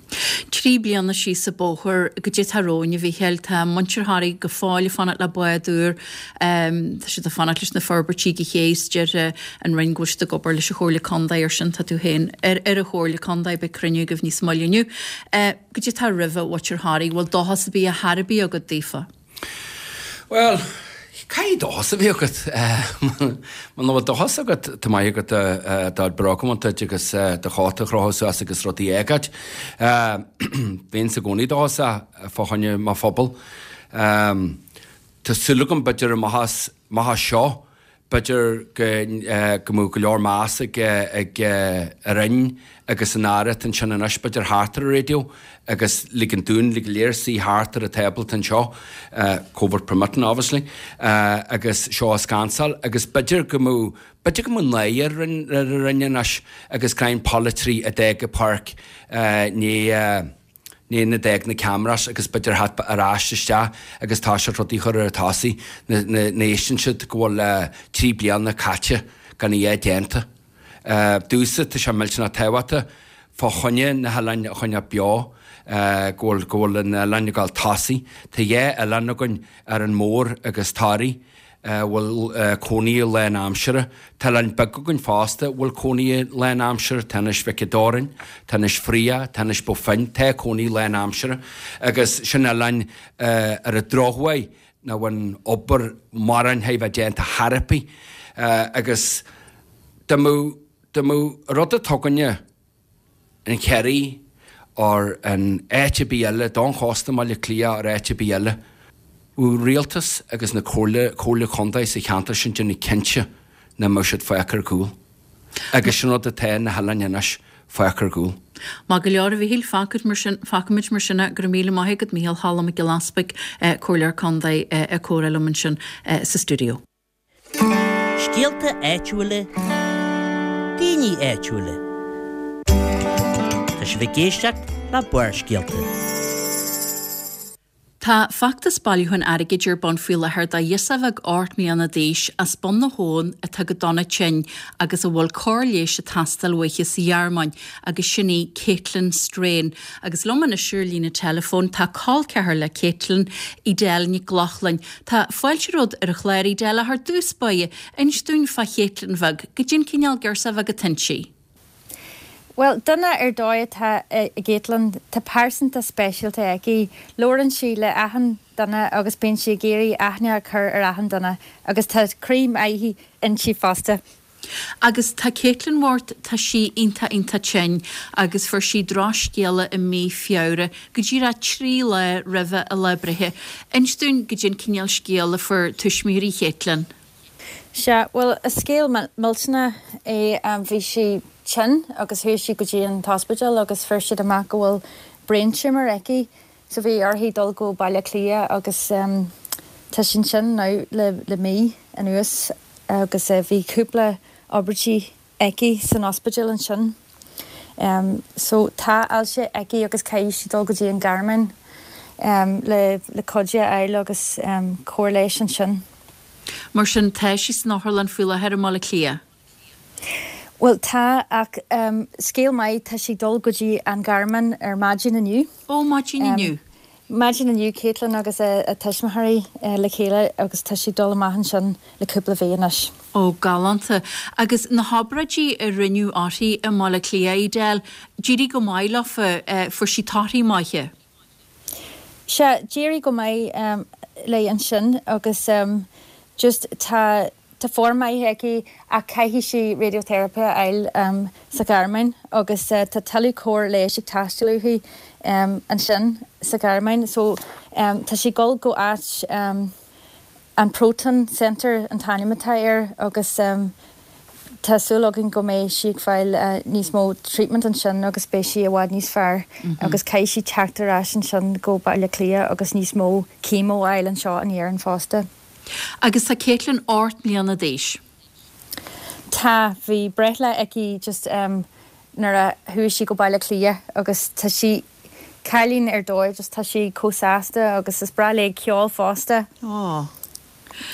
Trí bliana síos an bóthar goidé atá romhainn, a Mhícheáil, tá muintir Thoraí go fóill ag fanacht le bád úr, tá siad ag fanacht leis na forbairtí go chéas, deir an Roinn go bhfuil siad ag obair leis an Chomhairle Contae ar sin, tá tú féin ar ar an Chomhairle Contae, beidh cruinniú agaibh níos moille inniu. Goidé atá roimhe mhuintir Thoraí, bhfuil dóchas ar bith ar chor ar bith agat daofa? Bhuel, caithfidh dóchas a bheith agat. Muna bhfuil dóchas agat, tá maith agat do bhróga duit agus do chóta a chrochadh suas agus rudaí a fhágáil. Bhínnse i gcónaí dóchasach fá choinne mo phobal. Tá súil agam b'fhéidir amach as seo, B'fhéidir go mbeadh go leor meas ag an Roinn agus an Aire atá ansin anois, b'fhéidir thart ar an raidió agus ligean dúinn go léir suí thart ar an tábla atá anseo, Covid permitting obviously, agus seo a scansáil agus b'fhéidir go mbeadh, b'fhéidir go mbeadh náire ar an Roinn anois agus greim polaiteoirí a d'fhág an pháirc ní nuair a d'fhág na cameras agus b'fhéidir theacht ar ais isteach agus tá siad rudaí a chur ar a tosaigh ní éisteann siad go bhfuil trí bliana caite gan a dhath déanta. Domhsa tá sé millteanach tábhachtach fá choinne na hoileáin a choinneáil beo, go bhfuil go bhfuil na hoileáin ag dul tosaigh. Tá dhá oileán againn, Árainn Mhór agus Toraigh. a bhfuil cónaí lán-aimsire. Tá oileáin beaga againn fosta a bhfuil cónaí lán-aimsire, tá Inis Mhic an Doirn, tá Inis Fraoch, tá Inis Bó Finne, tá cónaí lán-aimsire agus sin oileáin ar an drochuair nach bhfuil obair mórán a bheith déanta chor ar bith agus dá mbeadh dá mbeadh rud atá againne an Chiarraí or in áit ar bith eile, don chósta i mBaile Átha Cliath or áit ar bith eile. Bheadh rialtas agus na comhairle, comhairle contae sa cheantar sin déanamh cinnte nach mbeadh siad fágtha ar gcúl. Agus sin rud atá na hoileáin anois, fágtha ar gcúl. Maith go leor a Mhíchíl, fágfaimid mar sin, fágfaimid mar sin é. Go raibh míle maith agat Mícheál Cholm Mac Giolla Easpaig, Comhairleoir Contae ag comhrá liom ansin sa stiúideo. Scéalta áitiúla, daoine áitiúla. Tá sibh ag éisteacht le Barrscéalta. Tá feachtas bailiúcháin airgid ar bun faoi láthair do ghirseach bheag ocht mbliana d'aois as Bun na hAbhann atá go dona tinn agus a bhfuil cóir leighis ag teastáil uaithi sa Ghearmáin agus sin í Caitlin Strain. Agus liom anois ar líne teileafóin tá col ceathar le Caitlin, Edel Nic Lochlainn. Tá fáilte romhat ar an chlár Edel ach ar dtús báire, inis dúinn fá Chaitlin bheag, goidé an cineál girseach bheag atá inti. Bhuel, duine ar dóigh atá i gCaitlin. Tá pearsantacht speisialta aici. Labhrann sí le achan duine agus bíonn sí ag iarraidh aithne a chur ar achan duine agus tá croí maith inti fosta. Agus tá Caitlin bhocht, tá sí iontach iontach tinn agus fuair sí drochscéala i mí Feabhra, go díreach trí lá roimhe a lá breithe. Inis dúinn goidé an cineál scéal a fuair tuismitheoirí Chaitlin. Sea, bhuel, is scéal millteanach é. Bhí sí tinn agus chuaigh sí go dtí an t-ospidéal agus fuair siad amach go bhfuil brain tumour aici. So bhí uirthi dul go Baile Átha Cliath agus tá sí ansin now le le mí anuas agus bhí cúpla obráidí aici san ospidéal ansin. So tá ailse aici agus caithfidh sí dul go dtí an Ghearmáin le le cuidiú a fháil agus cóir leighis ansin. Mar sin tá sí san otharlann faoi láthair i mBaile Átha Cliath? Bhuel tá, ach scéal maith, tá sí ag dul go dtí an Ghearmáin ar maidin inniu. Ó, maidin inniu. Maidin inniu, Caitlin agus a tuismitheoirí le chéile agus tá sí ag dul amach ansin le cúpla mhí anois. Ó, galánta. Agus na hobráidí a rinneadh uirthi i mBaile Átha Cliath, Edel, d'éirigh go maith leofa, fuair sí torthaí maithe? Sea, d'éirigh go maith léi ansin agus just tá Tá form maith aici ach caithfidh sí radiotherapy a fháil sa Ghearmáin agus tá tuilleadh cóir leighis ag teastáil uaithi ansin sa Ghearmáin. So tá sí ag dul go áit, an Proton Centre an t-ainm atá air agus tá súil againn go mbeidh sí ag fáil níos mó treatment ansin agus beidh sí i bhfad níos fearr agus caithfidh sí teacht ar ais ansin go Baile Átha Cliath agus níos mó chemo a fháil anseo in Éirinn fosta. Agus tá Caitlin ocht mbliana d'aois. Tá, bhí breithlá aici just um, nuair a chuaigh sí go Baile Átha Cliath agus tá sí cailín ar dóigh, just tá sí chomh sásta agus is breá léi ceol fosta. Oh.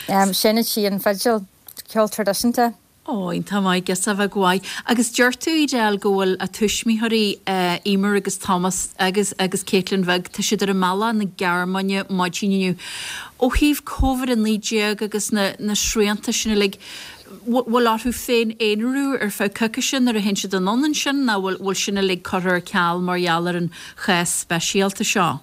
Um, Seinneann sí an fidil ceol traidisiúnta. Ó, iontach maith agus a bheith go Agus deir tú Edel go bhfuil a tuismitheoirí uh, Emer agus Thomas agus agus Caitlin bheag tá siad ar a mbealach na Gearmáine maidin inniu. Ó thaobh Covid a naoi déag agus na, na srianta sin uilig, bhfuil orthu féin aonarú ar feadh coicíse nuair a théann siad anonn sin ná bhfuil bhfuil sin uilig curtha ar ceal mar gheall ar an chás speisialta seo.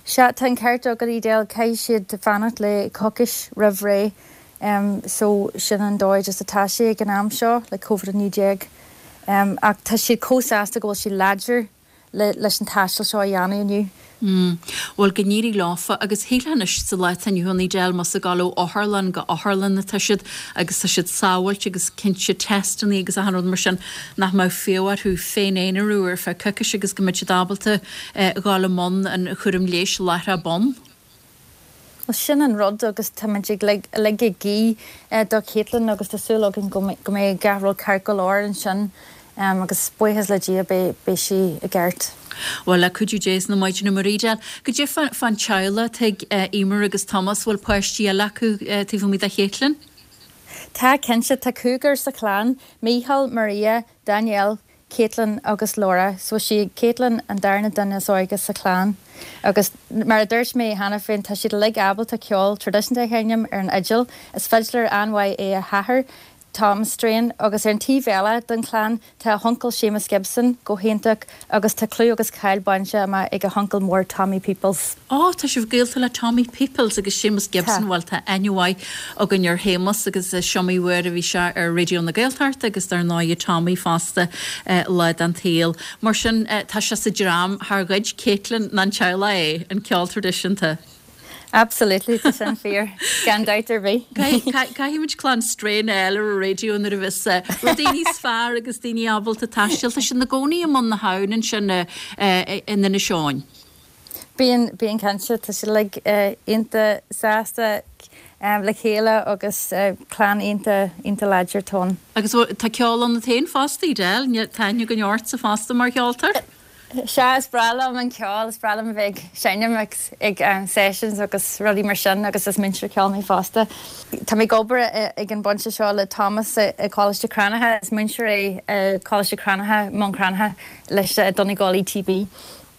Sea tá an ceart agat Edel caithfidh siad fanacht le coicís roimh ré. Um, so sin an dóigh just atá sé ag an am seo le Covid a naoi déag. Um, ach tá siad chomh sásta go bhfuil sí láidir le, leis an taisteal seo a dhéanamh inniu. Mm. Bhuel go n-éirí leofa agus hélanis sa le inniu Edel mas a gáil ó otharlann go otharlann atá siad agus tá siad sábháilte agus cinnte testanna agus achan rud mar sin nach mbeadh fiú orthu féin aonarú ar feadh coicíse agus go mbeidh siad ábalta eh, dul i mbun an chúram leighis láithreach bonn. Well, sin an rud agus táimid ag lig ag guí eh, do Caitlin agus tá súil againn go mbeidh gach rud ceart go leor ansin um, agus buíochas le Dia beidh sí i gceart. Well le cuidiú Dé na maidine mar Edel, Cad é fán teaghlach tigh uh, Emer agus Thomas bhfuil páistí eile acu uh, taobh amuigh de Caitlin? Tá cinnte tá cúigear sa chlann, Michael, Maria, Danielle, Caitlin agus Laura, so sí Caitlin an darna duine is óige sa chlann. Agus mar a dúirt mé cheana féin tá siad uilig ábalta ceol traidisiúnta a sheinm ar an fhidil, is fiddler an-mhaith é a hathair, Tom Strain agus ar an taobh eile den chlann tá a huncail Seamus Gibson go hiontach agus tá clú agus cáil bainte amach ag a huncail mór Tommy Peoples. Á tá sibh gaolta le Tommy Peoples agus Seamus Gibson bhfuil tá aithne againn ar Shéamus agus siomaí uair a bhí sé ar Raidió na Gaeltachta agus dar ndóigh Tommy fosta uh, le an tsaol. Mar sin uh, tá sé sa dream thar gcuid Caitlin nan teaghlach é an ceol traidisiúnta. Absolutely tá sin fíor gan dabht ar bith. Caithfimid clann Strain eile ar raidió nuair a bheas rudaí níos fearr agus daoine ábalta taisteal sin na gcónaí am na habhann sin in Inis Eoghain. Bíonn bíonn cinnte tá siad uilig iontach sásta le chéile agus clann iontach iontach láidir tón. Agus tá ceol ionat féin fosta Edel, tá aithne againn ortsa fosta mar cheoltóir? Sea is breá liom an ceol is breá liom bheith seinm ag um, sessions agus rudaí mar sin agus is múinteoir ceoil mé fosta. Tá mé ag obair ag an bpointe seo le Thomas i Coláiste Cranncha is múinteoir é Coláiste Cranncha Maigh Chromtha leis Donegal ETB.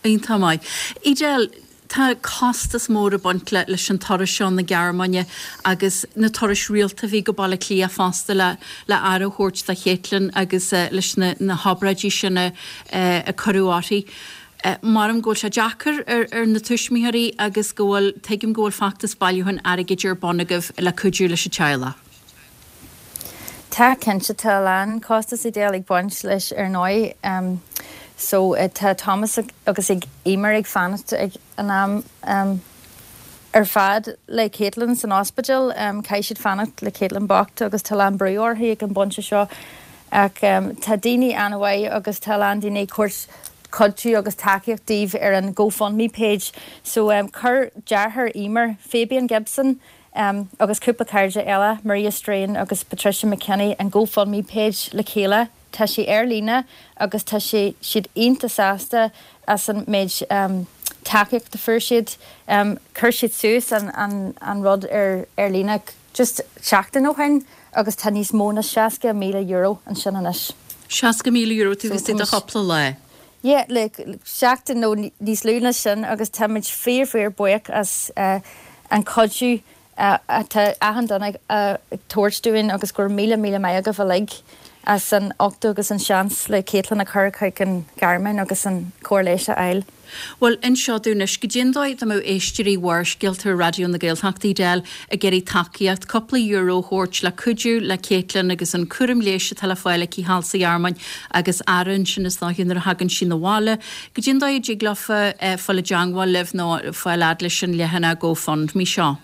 Iontach maith. Edel, tá costas mór ag baint le leis an turas seo na Gearmáine agus na turais rialta bhí go Baile Átha Cliath fosta le le aire a thabhairt do Caitlin agus uh, leis na, na hobráidí sin uh, a cuireadh uirthi. Uh, Maram go bhfuil sé deacair ar, ar na tuismitheoirí agus go bhfuil tuigim go bhfuil feachtas bailiúcháin airgid ar bun agaibh le cuidiú leis an teaghlach. Tá cinnte tá lán costas Edel ag baint leis ar ndóigh. Um, so uh, tá Thomas agus ag Emer ag fanacht ag an am um, ar fad le Caitlin san ospidéal um, caithfidh siad fanacht le Caitlin bocht agus tá lán brú uirthi ag an bpointe seo ach um, tá daoine an-mhaith agus tá lán daoine ag cuidiú agus tacaíocht dóibh ar an GoFundMe page so um, chuir deartháir Emer Fabian Gibson um, agus cúpla cairde eile Maria Strain agus Patricia McKinney an GoFundMe page le chéile tá sé ar líne agus tá sé siad iontach sásta as an méid um, tacaíocht a fuair siad um, chuir siad suas an, an, an rud ar ar líne just seachtain ó shin agus tá níos mó ná seasca míle euro ansin anois. Seasca míle euro tú gus a chúpla lá. Yeah, le seachtain nó níos lú ná sin agus táimid fíor fíor buíoch as uh, an cuidiú uh, atá achan duine uh, tabhairt dúinn agus gur míle míle maith agaibh uilig as an ucht agus an seans le Caitlin a chur chuig an Ghearmáin agus an cóir leighis a fháil. Well anseo dúnis go dtí tá éisteoirí Bharrscéalta Raidió na Gaeltachta Edel ag iarraidh tacaíocht cúpla euro a thabhairt le cuidiú le Caitlin agus an cúram leighis atá le fáil aici thall sa Ghearmáin agus aran sin is náún a hagann sin na bháile. Go dtí dtig leofa fáil i dteagmháil libh nó fáil fhad leis an leathanach GoFundMe seo.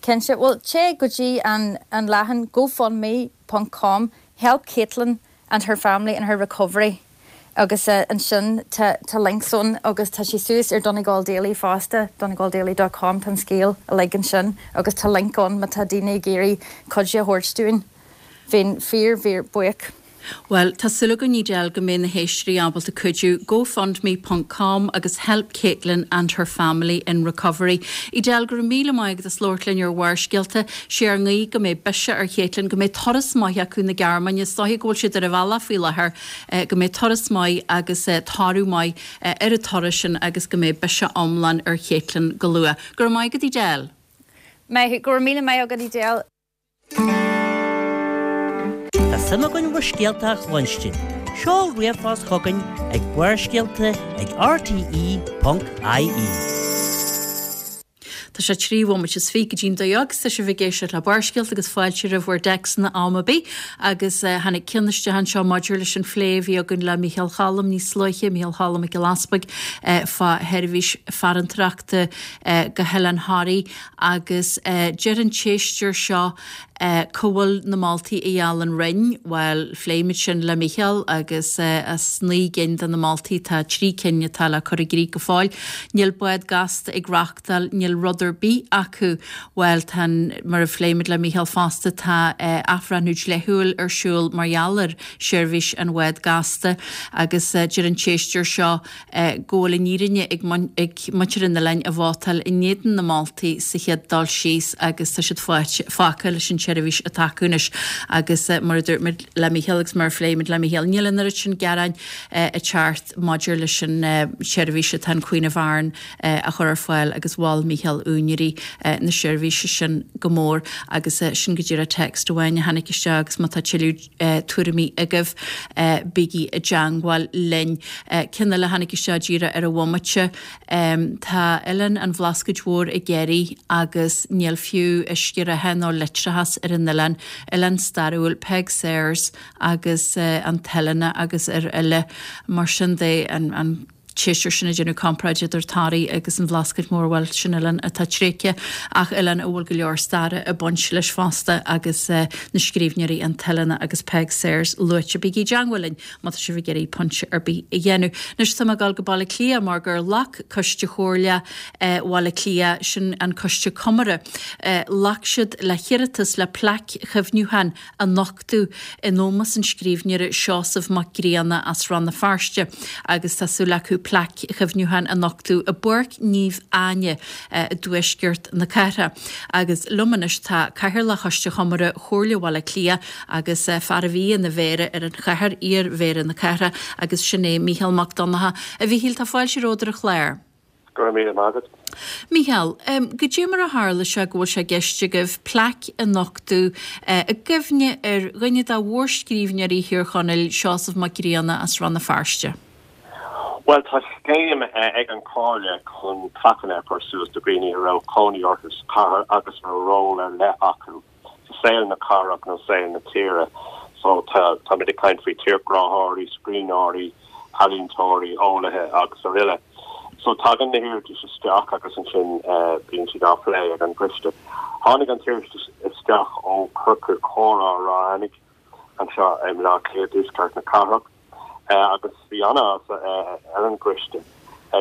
Cinnte well téigh go dtí an an leathanach gofundme.com help Caitlin and her family in her recovery. agus uh, ansin tá link ann agus tá sé suas ar Donegal Daily fosta donegaldaily.com tá scéal uilig ansin agus tá link ann má tá daoine ag iarraidh cuidiú a thabhairt dúinn. Bheinn fíor fíor buíoch. Bhuel, tá súil againn, Edel, go mbeidh na héisteoirí ábalta cuidiú. GoFundMe ponc com agus Help Caitlin and her family in recovery. Edel, go raibh míle maith agat as labhairt linn ar Bharrscéalta. Sé ár nguí go mbeidh biseach ar Chaitlin, go mbeidh turas maith acu na Gearmáine, is dóiche go bhfuil siad ar a bhealach faoi láthair, go mbeidh turas maith agus toradh maith ar an turas sin agus go mbeidh biseach iomlán ar Chaitlin go luath. Go raibh maith agat, Edel. Maith, go raibh míle maith agat, Edel. Tá suim againn bhur scéalta a chluinstin. Seol ríomhphost chugainn ag barrscéalta ag rte ponc ie. Tá sé trí bhomaite is fiche go dtí'n dó dhéag, tá sibh ag éisteacht le Barrscéalta agus fáilte roimh bhur dtéacsanna am ar bith agus tháinig ceann isteach anseo maidir leis an phlé a bhí againn le Mícheál Cholm níos luaithe, Mícheál Cholm Mac Giolla Easpaig, fá sheirbhís farantóireachta go hOileán Thoraí agus deir an t-éisteoir seo Cá bhfuil na moltaí a gheall an Roinn? Bhuel, phléigh muid sin le Mícheál agus as naoi gcinn de na moltaí tá trí cinn atá le cur i gcrích go fóill. Níl bád gasta ag reachtáil, níl rud ar bith acu. Bhuel, tá an, mar a phléigh muid le Mícheál fosta, tá athbhreithniú dlíthiúil ar siúl mar gheall ar sheirbhís an bhád gasta agus deir an t-éisteoir seo go bhfuil an fhírinne ag muintir an oileáin a vótáil in éadan na moltaí sa chéad dul síos agus tá siad fágtha leis an tseirbhís atá acu anois agus mar a dúirt muid le Mícheál agus mar a phléigh muid le Mícheál, níl an oiread sin gearáin ag teacht maidir leis an tseirbhís atá an Queen of Aran a chur ar fáil agus mhol Mícheál úinéirí na seirbhíse sin go mór agus sin go díreach text amháin a tháinig isteach agus má tá tuilleadh tuairimí agaibh bígí i dteangmháil linn. Ceann eile a tháinig isteach díreach ar an bhomaite, tá Oileán an Bhlascaoid Mhóir ag éirí agus níl fiú uisce reatha nó leictreachas ar an oileán, oileán stairiúil, Peig Sayers agus an t-oileán agus araile. Mar sin de, an t-éisteoir sin ag déanamh comparáid idir Toraigh agus an Bhlascaoid Mhór, bhuel, sin oileán atá tréigthe ach oileán a bhfuil go leor staire ag baint leis fosta agus na scríbhneoirí an t-oileán agus Peig Sayers luaite. Bígí i dteangmháil linn má tá sibh ag iarraidh pointe ar bith a dhéanamh. Anois tá mé ag dul go Baile Átha Cliath mar gur ghlac Coiste Chomhairle Bhaile Átha Cliath, sin an Coiste Comaire, ghlac siad le hiarratas le plaic chuimhniúcháin a nochtadh in ómós an scríbhneora Seosamh Mac Grianna as Rann na Feirste agus tá súil acu plaic chuimhniúcháin a nochtadh i bPáirc Naomh Áine i dtuaisceart na cathrach. Agus liom anois tá Cathaoirleach Choiste Chomaire Chomhairle Bhaile Átha Cliath agus fear a bhí ina mhéara ar an chathair, iar-mhéara na cathrach agus sin é Mícheál Mac Donncha. A Mhíchíl, tá fáilte romhat ar an chlár. Go raibh míle maith agat. Mícheál, goidé mar a tharla sé go bhfuil sé i gceist agaibh plaic a nochtadh i gcuimhne ar dhuine de mhórscríbhneoirí Thír Chonaill, Seosamh Mac Grianna as Rann na Feirste? Bhuel, tá scéim ag an Chomhairle chun plaiceanna a chur suas do dhaoine a raibh cónaí orthu sa chathair agus a raibh ról ar leith acu sa saol na cathrach nó saol na tíre. So tá táimid ag caint faoi tírghráthóirí, scríbhneoirí, ealaíontóirí, eolaithe agus araile. So tagann na hiarratais isteach agus ansin bíonn siad á phlé ag an gcoiste. Tháinig an t-iarratas isteach ó Chiorcal Comhrá Ráth Eanaigh anseo i mBaile Átha Cliath, i dtuaisceart na cathrach, agus bhí an-áthas ar an gcoiste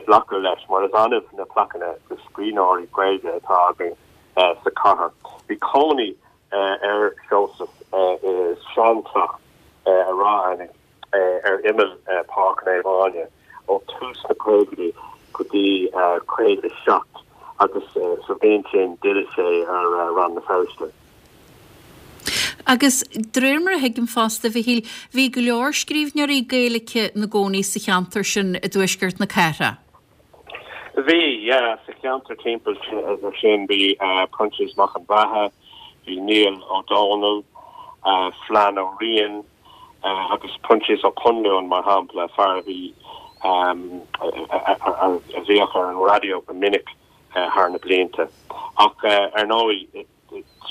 glacadh leis mar is annamh na plaiceanna do scríbhneoirí Gaeilge atá againn sa chathair. Bhí cónaí ar Sheosamh i seanteach i Ráth Eanaigh ar imeall Pháirc Naomh Áine ó thús na caogaidí go dtí caoga a seacht agus sa bhliain sin d'fhill sé ar Rann na Feirste. Agus de réir mar a thuigim fosta, a Mhichíl, bhí go leor scríbhneoirí Gaeilge ina gcónaí sa cheantar sin i dtuaisceart na cathrach. Bhí, yeah, sa cheantar timpeall sin bhí Proinsias Mac an Bheatha, bhí Niall Ó Dónaill, Flann Ó Riain agus Proinsias Ó Conluain mar shampla, fear a bhí a bhíodh ar an raidió go minic thar na blianta. Ach ar ndóigh,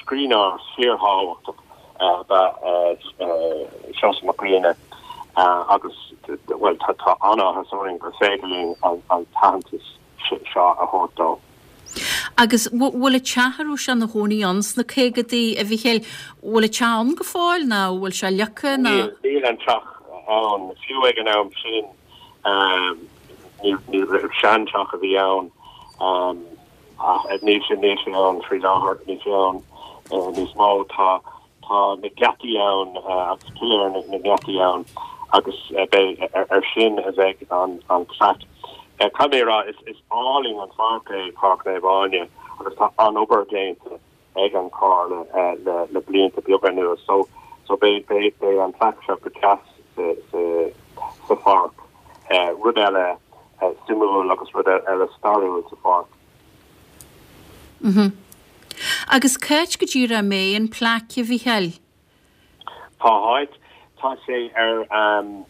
Scríbhneoir fíorthábhachtach ab ea Seosamh Mac Grianna agus, bhuel, tá an-áthas orainn gur féidir linn an t-aitheantas seo a thabhairt dó. Agus bhfuil an teach a raibh sé ina chónaí ann sna caogaidí, a Mhichíl, bhfuil an teach ann go fóill nó bhfuil sé leagtha nó? Níl, níl an teach ann. Fiú ag an am sin, ní seanteach a bhí ann. Ach níl sé, níl sé ann faoi láthair, níl sé ann níos mó. Tá Tá na geataí ann agus piléar na ngeataí ann agus beidh ar sin a bheidh an an plaic. Caithfidh mé a rá is is álainn an pháirc é Páirc Naomh Áine agus tá an-obair déanta ag an Chomhairle le le blianta beaga anuas so so beidh beidh beidh an plaic seo go deas sa sa sa pháirc. Rud eile suimiúil agus rud eile stairiúil sa pháirc. Mhm. Agus cá háit go díreach a mbeidh an plaic, a Mhícheáil? Cá háit tá sé ar um,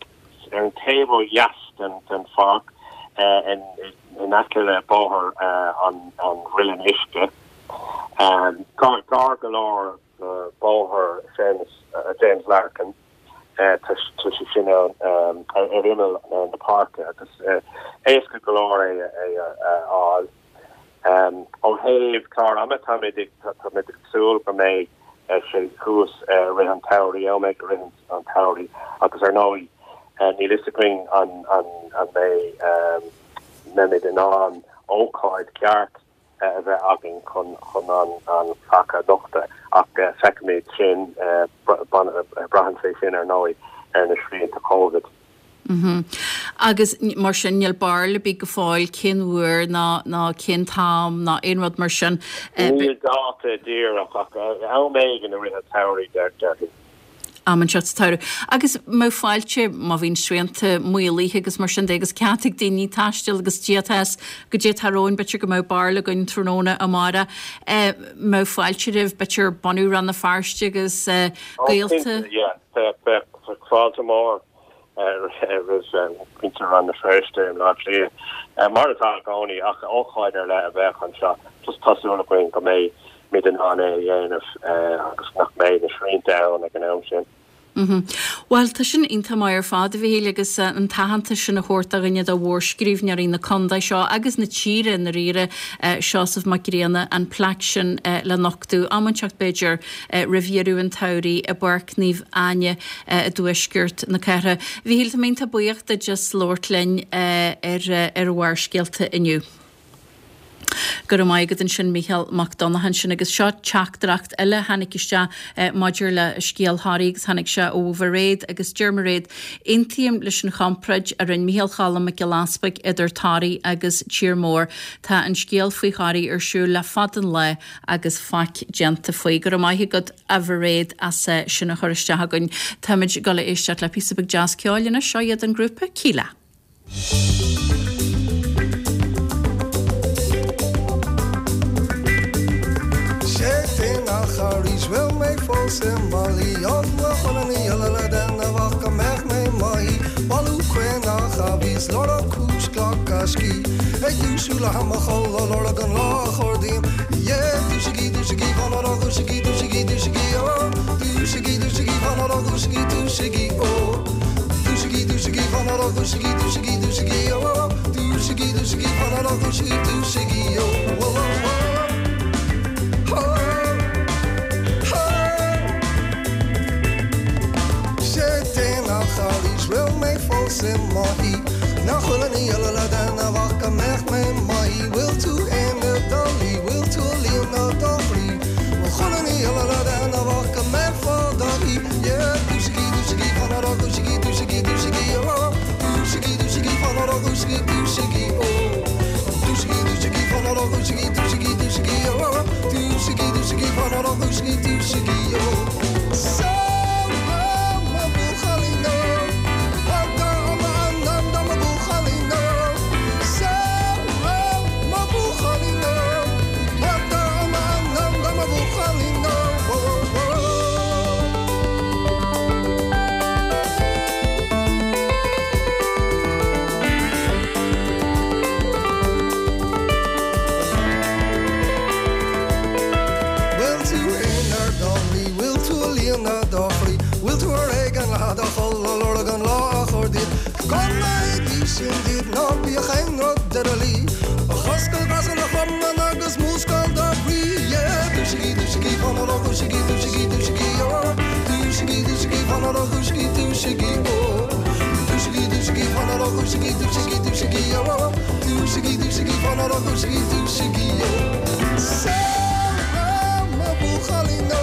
ar an taobh ó dheas den den pháirc uh, in in aice le bóthar uh, an an Mhuilinn Uisce. Um, gar gar go leor uh, bóthar James uh, James Larkin uh, tá sé sin um, ar imeall uh, na páirce agus uh, éasca go leor é é a fháil. Um, ó thaobh clár ama táimid táimid ag súil go mbeidh sé thuas rith an tsamhraidh am éigin rith an tsamhraidh agus ar ndóigh níl a fhios againn an an an mbeidh um, mbeimid in ann ócáid ceart a bheith againn chun chun an an plaic a nochtadh ach feicfimid sin braitheann sé sin ar ndóigh ar na srianta Covid. Mm Agus mar sin níl barúil ar bith go fóill cén uair ná ná cén t-am ná aon rud mar sin. Níl dáta díreach ach am éigin i rith an tsamhraidh deir am inteacht sa tsamhradh. Agus má fáilte má bhíonn srianta maolaithe agus mar sin de agus cead ag daoine taisteal agus díotas go dé tarróin b'fhéidir go mbeadh barúil againn tráthnóna amárach mbeadh fáilte roimh b'fhéidir bunadh Rann na Feirste agus gaolta. Fáilte mór. Muintir Rann na Feirste i mBaile Átha Cliath. Mar atá i gcónaí ach ócáid ar leith a bheadh anseo just tá súil againn go mbeimid in ann é a dhéanamh agus nach mbeidh na srianta ann ag an am sin. Mm Well tá sin iontach maith ar fad a Mhíchíl agus an t-aitheantas sin a thabhairt do dhuine de mhórscríbhneoirí na contae seo agus na tíre i ndáiríre Seosamh Mac Grianna an plaic sin le nochtadh am inteacht b'fhéidir roimh dheireadh an tsamhraidh i bPáirc Naomh Áine i dtuaisceart na cathrach. Mhíchíl tá mé iontach buíoch duit as labhairt linn ar ar Bharrscéalta inniu. Go raibh maith agat ansin Mícheál Mac Donncha ansin agus seo teachtaireacht eile a tháinig isteach maidir le scéal Thoraí agus tháinig sé ó Mhairéad agus deir Mairéad, Aontaím leis an chomparáid a rinne Mícheál Cholm Mac Giolla Easpaig idir Toraigh agus tír mór. Tá an scéal faoi Thoraigh ar siúl le fada an lá agus faic déanta faoi. Go raibh maith agat a Mhairéad as sin a chur isteach againn. Táimid ag dul a éisteacht le píosa beag deas ceoil anois, seo iad an grúpa Kíla. Sé déanach arís bhfuil mé fós i mo luí An bhfuil chuile ní uile le déanamh ach go mbeadh mé i mo shuí Bailiú caonach a bhíos lorg cúis glacadh scíth Ag dúisiú le ham a chodladh lorg an lá a chordaím Yeah dúisigí dúisigí fan ar dúisigí dúisigí dúisigí ó Dúisigí dúisigí fan ar dúisigí dúisigí ó Dúisigí dúisigí fan ar dúisigí dúisigí dúisigí ó Dúisigí dúisigí fan ar dúisigí dúisigí ó Whoa, whoa, whoa. Sé déanach arís bhfuil mé fós i mo shuí Nach bhfuil aon ní eile le déanamh ach go mbeadh mé i mo shuí Bhfuil tú in do luí bhfuil tú ag líonadh do chroí Bhfuil chuile ní eile le déanamh ach go mbeifeá i do shuí Yeah dúisigí dúisigí fan ar dúisigí dúisigí dúisigí ó Dúisigí dúisigí fan ar dúisigí dúisigí ó Dúisigí dúisigí fan ar dúisigí dúisigí dúisigí ó Dúisigí dúisigí fan ar dúisigí dúisigí ó So mo bhuachaillí nó mo bhuachaillí nó So mo bhuachaillí nó mo bhuachaillí nó Bhfuil tú inár do luí bhfuil tú ag líonadh do chroí Bhfuil tú ar éigean le do chodladh lorg an lá a chur díot Go n-éirí sin díot ná bíodh aon rud i do luí Ach oscail greasáin do chromann agus múscail do chroí Yeah dúisigí dúisigí fan ar dúisigí dúisigí dúisigí ó Dúisigí dúisigí fan ar dúisigí dúisigí ó Dúisigí dúisigí fan ar dúisigí dúisigí dúisigí ó Dúisigí dúisigí fan ar dúisigí dúisigí ó So mo bhuachaillí nó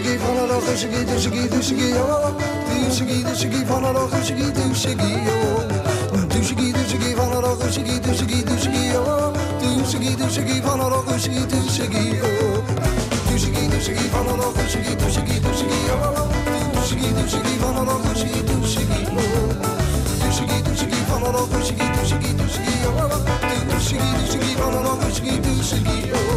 dúisigí fan ó dúisigí dúisigí dúisigí ó dúisigí dúisigí fan ó dúisigí dúisigí ó dúisigí dúisigí fan ó dúisigí dúisigí dúisigí ó dúisigí dúisigí fan ó dúisigí dúisigí ó dúisigí dúisigí fan ó dúisigí dúisigí dúisigí ó dúisigí dúisigí fan ó dúisigí dúisigí ó dúisigí dúisigí fan ó dúisigí dúisigí dúisigí ó dúisigí dúisigí fan ó dúisigí dúisigí ó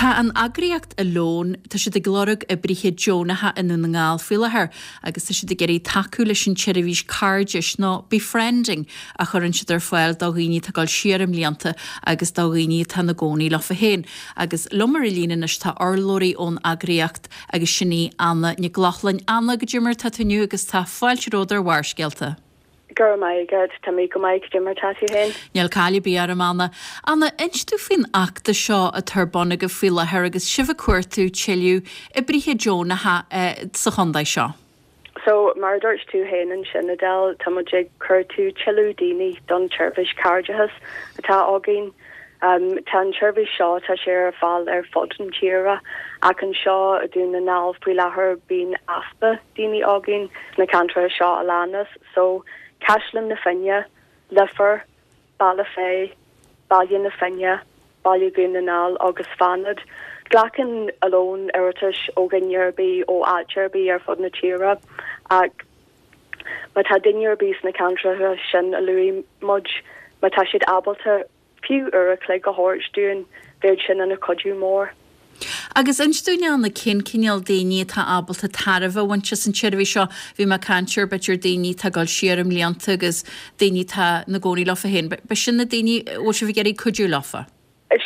Tá an eagraíocht Alone, tá siad ag lorg oibrithe deonacha i nDún na nGall faoi láthair agus tá siad ag iarraidh tacú leis an tseirbhís cairdis nó befriending a chuireann siad ar fáil do dhaoine atá ag dul siar i mblianta agus do dhaoine atá ina gcónaí leofa féin. Agus liom ar an líne anois tá urlabhraí ón eagraíocht agus sin í Anna Nic Lochlainn. Anna, goidé mar tá tú inniu agus tá fáilte romhat ar Bharrscéalta. Go raibh maith agat tá mé go maith goidé mar tá tú féin. Níl caill ar bith orm Anna. Anna, inis dúinn faoin fheachtas seo atá ar bun agaibh faoi láthair agus sibh ag cuartú tuilleadh oibrithe deonacha eh, sa chontae seo. So mar dúirt tú féin ansin Edel tá muid ag cuartú tuilleadh daoine don tseirbhís cairdis atá againn. Um, tá an tseirbhís seo tá sé ar fáil ar fud an tíre ach anseo i Dún na nGall faoi láthair bíonn easpa daoine againn na ceantracha seo a leanas, so Caisleán na Finne, Leifear, Bealach Féich, Baile na Finne, Baile Dhún na nGall agus Fánad. Glacann Alone iarratais ó dhuine ar bith ó áit ar bith ar fud na tíre ach má tá duine ar bith sna ceantracha sin a luaigh muid má tá siad ábalta fiú uair a chloig a thabhairt dúinn bheadh sin ina chuidiú mór. Agus inis dúinn Anna cén cineál daoine atá ábalta tairbhe a bhaint as an tseirbhís seo, bhí mé ag caint ar b'fhéidir daoine atá ag dul siar i mblianta agus daoine atá ina gcónaí leofa féin. B'shin na daoine a bhfuil sibh ag iarraidh cuidiú leofa.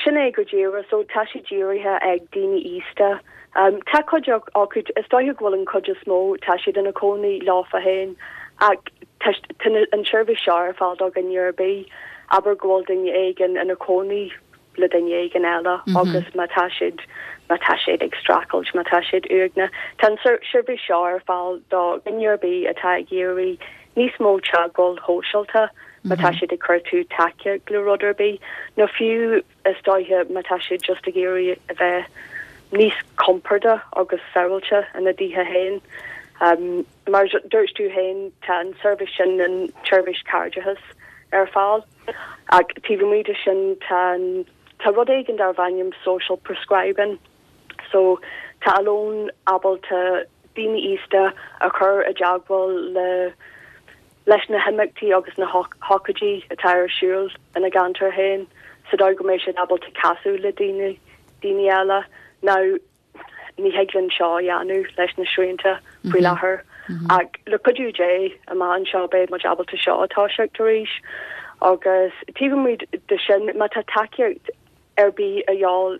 Sin é go díreach, so tá sé dírithe ag daoine aosta. Um, tá cuid acu is dóiche go bhfuil an chuid is mó tá siad ina cónaí leofa féin ach tá an tseirbhís seo ar fáil do dhuine ar bith abair go bhfuil duine éigin ina cónaí le duine éigin eile mm -hmm. agus má tá siad má tá siad ag streachailt má tá siad uaigneach. Tá an seirbhís seo ar fáil do dhuine ar bith atá ag iarraidh níos mó teagmháil shóisialta má tá siad ag cuartú tacaíocht le rud ar bith nó fiú is dóiche má tá siad just ag iarraidh a bheith níos compordaí agus sábháilte ina dtithe féin. Um, mar dúirt tú féin tá an seirbhís sin an tseirbhís cairdis ar fáil. Ach taobh amuigh de sin tá tá rud éigin darb ainm social prescribing. So tá Alone ábalta daoine aosta a chur i dteagmháil le leis na himeachtaí agus na hócáidí atá ar siúl ina gceantar féin, sa dóigh go mbeidh siad ábalta casadh le daoine daoine eile. Now ní thig linn seo a dhéanamh leis na srianta faoi láthair. Ach le cuidiú Dé amach anseo beidh muid ábalta seo a thoiseacht arís agus taobh amuigh de sin má tá tacaíocht ar bith a fháil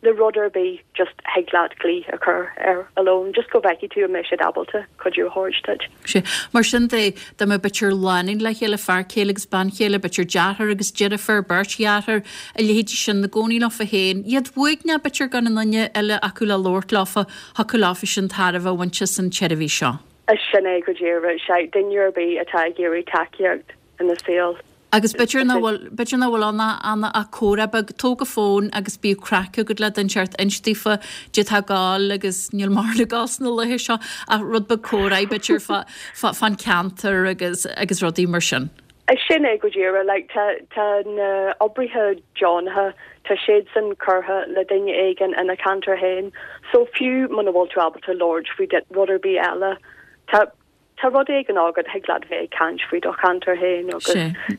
le rud ar bith just thig leat glaoch a chur ar Alone, just go bhfeicfidh tú an mbeidh siad ábalta cuidiú a thabhairt duit. Sea. Mar sin de, dá mbeadh b'fhéidir lánúin le chéile, fear céile agus bean chéile, b'fhéidir deartháir agus deirfiúr, beirt dheartháir, a leithéidí sin, ina gcónaí leofa féin, iad uaigneach b'fhéidir gan aon duine eile acu le labhairt leofa, thiocfadh leofa sin tairbhe a bhaint as an tseirbhís seo. Sin é go díreach, sea, duine ar bith atá ag iarraidh tacaíocht ina saol. Agus b'fhéidir nach bhfuil, b'fhéidir nach bhfuil ann ach, Anna, ach comhrá beag, tóg an fón agus bíodh craic agat le duine inteacht, inis daofa caidé atá ag gabháil agus níl mórán ag gabháil sna laethe seo ach rud beag comhrá b'fhéidir fá, fá, fán ceantar agus, agus rudaí mar sin. Sin é go díreach, like, tá, tá na oibrithe deonacha, tá siadsan curtha le duine éigin ina ceantar féin, so fiú muna bhfuil tú ábalta labhairt faoi rud ar bith eile, tá, Tá rud éigin agat, thig leat bheith ag caint faoi do cheantar féin agus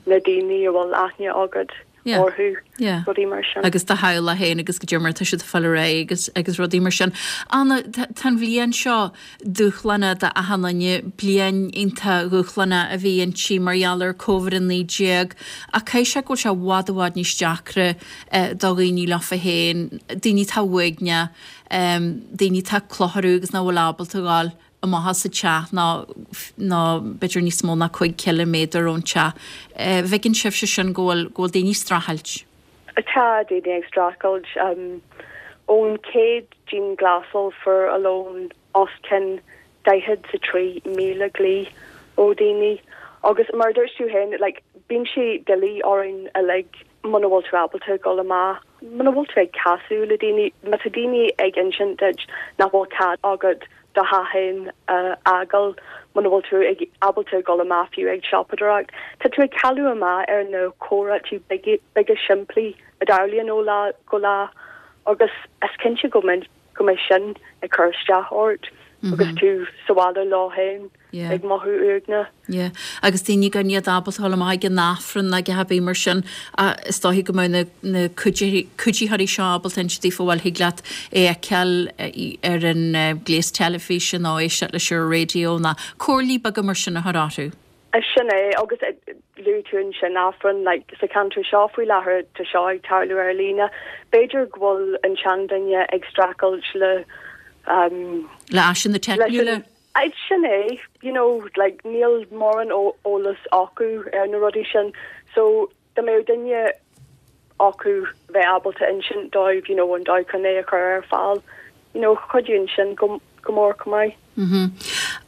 na daoine a bhfuil aithne agat orthu, rudaí mar sin. Agus do theaghlach féin agus goidé mar atá siad ag fáil ar aghaidh agus agus rudaí mar sin. Anna, tá an bhliain seo dúshlánach d'achan duine, bliain iontach dhúshlánach a bhí inti mar gheall ar Covid a naoi déag ach caithfidh sé go bhfuil sé i bhfad i bhfad níos deacra do dhaoine leofa féin, daoine atá uaigneach, daoine atá ag clutharú agus nach bhfuil ábalta a ghabháil amach as an teach ná ná b'fhéidir níos mó ná cúig chiliméadar ón teach. Bhfeiceann sibhse sin go bhfuil go bhfuil daoine ag streachailt? Tá daoine ag streachailt. Ón chéad dianghlasáil fuair Alone os cionn daichead is a trí míle glao ó daoine agus mar a dúirt tú féin like bíonn sé doiligh orainn uilig muna bhfuil tú ábalta dul amach, muna bhfuil tú ag casadh le daoine, má tá daoine ag insint duit nach bhfuil cead agat do theach féin a fhágáil, muna bhfuil tú ag ábalta dul amach fiú ag siopadóireacht, tá tú ag cailleadh amach ar na comhráití beaga simplí a dtarlaíonn ó lá go lá agus is cinnte go mbeidh go mbeidh sin ag cur isteach ort agus tú sa bhaile leo féin ag mothú uaigneach. Yeah. Agus daoine gan iad ábalta dul amach ag an Aifreann ná a dhath ar bith mar sin, is dóichí go mbeadh na na cuiditheoirí seo ábalta inse daofa bhuel thig leat é a fheiceáil ar an gléas teilifíse nó éisteacht leis ar an raidió nó comhairlí beaga mar sin a chur orthu. Sin é, agus luaigh tú ansin Aifreann, like, sa cheantar seo faoi láthair tá seo ag tarlú ar líne. B'fhéidir go bhfuil an seanduine ag streachailt le um, Le áiseanna teicniúla? Sin é, you know, like, níl mórán eolas acu ar na rudaí sin, so dá mbeadh duine acu bheith ábalta insint dóibh, you know, an dóigh chun é a chur ar fáil, you know, chuideodh sin go go mór chomh maith. Mm-hmm.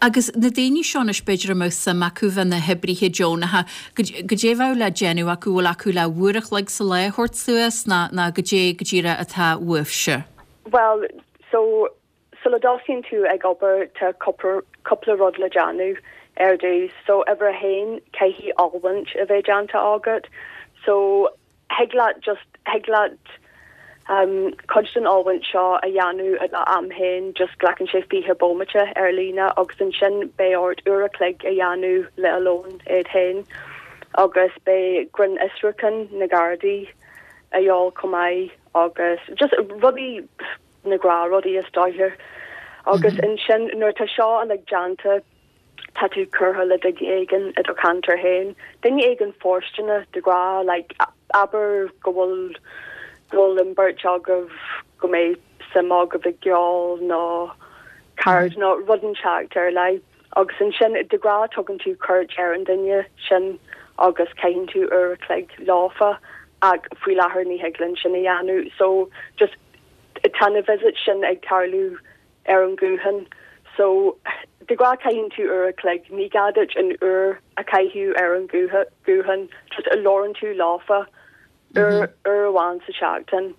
Agus na daoine seo anois b'fhéidir a mbeadh suim acu bheith ina hoibrithe deonacha, goidé a bheadh le déanamh acu, bhfuil acu le uair a chloig sa lá a thabhairt suas ná ná goidé go díreach atá uaibhse? Bhuel, so sula dtosaíonn tú ag obair tá cúpla rud le déanamh ar dtús. So uimhir a haon caithfidh oiliúint a bheith déanta agat. So thig leat just thig leat um, cuid den oiliúint seo a dhéanamh i do am féin just glacann sé fiche bomaite ar líne agus ansin beidh ort uair a chloig a dhéanamh le Alone iad féin agus beidh grinnfhiosrúchán na Gardaí a dhíobháil chomh maith agus just rudaí na gnáthrudaí is dóiche. Agus ansin nuair atá seo uilig déanta tá tú curtha le duine éigin i do cheantar féin. Duine éigin fóirsteanach de ghnáth like abair go bhfuil go bhfuil an bheirt agaibh go mbeidh suim agaibh i gceol nó ceard nó rud inteacht ar leith. Agus ansin de ghnáth tugann tú cuairt ar an duine sin agus caitheann tú uair a chloig leofa ach faoi láthair ní thig linn sin a dhéanamh. So just tá na visits sin ag tarlú ar an nguthán so de ghnáth caitheann tú uair a chloig, ní gá duit an uair a chaitheamh ar an guthán, just labhrann tú leofa uair uair amháin sa tseachtain.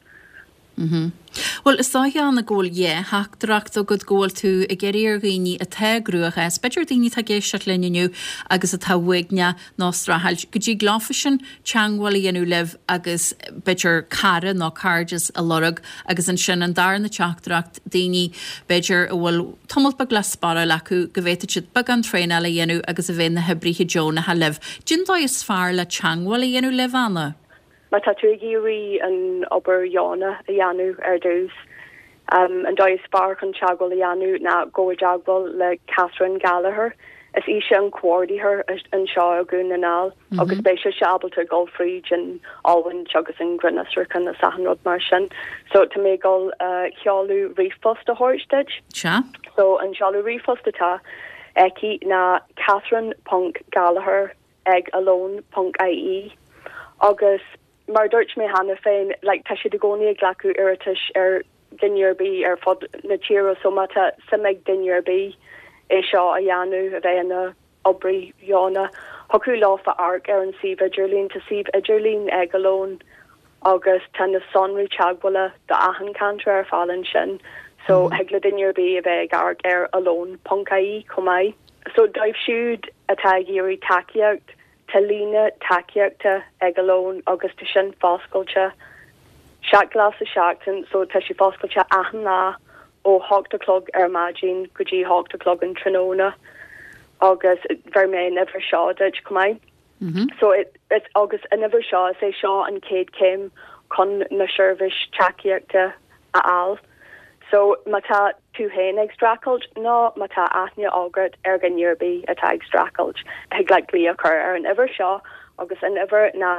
Bhuel, is dóiche, Anna, go bhfuil dhá theachtaireacht agat, go bhfuil tú ag iarraidh ar dhaoine atá i gcruachás, b'fhéidir daoine atá ag éisteacht linn inniu agus atá uaigneach nó ag streachailt, go dtig leofa sin teagmháil a dhéanamh libh agus b'fhéidir cara nó cairdeas a lorg agus ansin an darna teachtaireacht, daoine b'fhéidir a bhfuil tamall beag le sparáil acu go bhféadfadh siad beagán traenála a dhéanamh agus a bheith ina hoibrithe deonacha libh. Cén dóigh is fearr le teagmháil a dhéanamh libh, Anna? Má tá tú ag iarraidh an obair dheonach a dhéanamh ar dtús, an dóigh is fearr chun teagmháil a dhéanamh ná gabh i dteagmháil le Catherine Gallagher. Is ise an comhordaitheoir anseo i Dhún na nGall agus beidh sise ábalta dul fríd an oiliúint agus an grinnfhiosrúchán is achan rud mar sin. So tá mé ag dul seoladh ríomhphost a thabhairt duit. Sea. So an seoladh ríomhphost atá aici ná catherine ponc gallagher ag alone ponc ie agus mar a dúirt mé cheana féin like tá siad i gcónaí ag glacadh iarratais ar dhuine ar bith ar fud na tíre so má tá suim ag duine ar bith é seo a dhéanamh a bheith ina oibrí deonach thiocfadh leofa amharc ar an suíomh idirlín tá suíomh idirlín ag Alone agus tá na sonraí teagmhála do achan ceantar ar fáil ansin so thig le duine ar bith a bheith ag amharc ar alone ponc ie chomh maith. So dóibh siúd atá ag iarraidh tacaíocht Tá líne tacaíochta ag Alone agus tá sin foscailte seacht lá sa seachtain so tá sé foscailte achan lá ó hocht a chlog ar maidin go dtí hocht a chlog an tráthnóna agus bheir mé an uimhir seo duit chomh maith. So it, it, agus an uimhir seo is é seo an chéad chéim chun na seirbhís tacaíochta a fháil. So má tá tú féin ag streachailt nó má tá aithne agat ar dhuine ar bith atá ag streachailt, thig leat glaoch a chur ar an uimhir seo agus an uimhir ná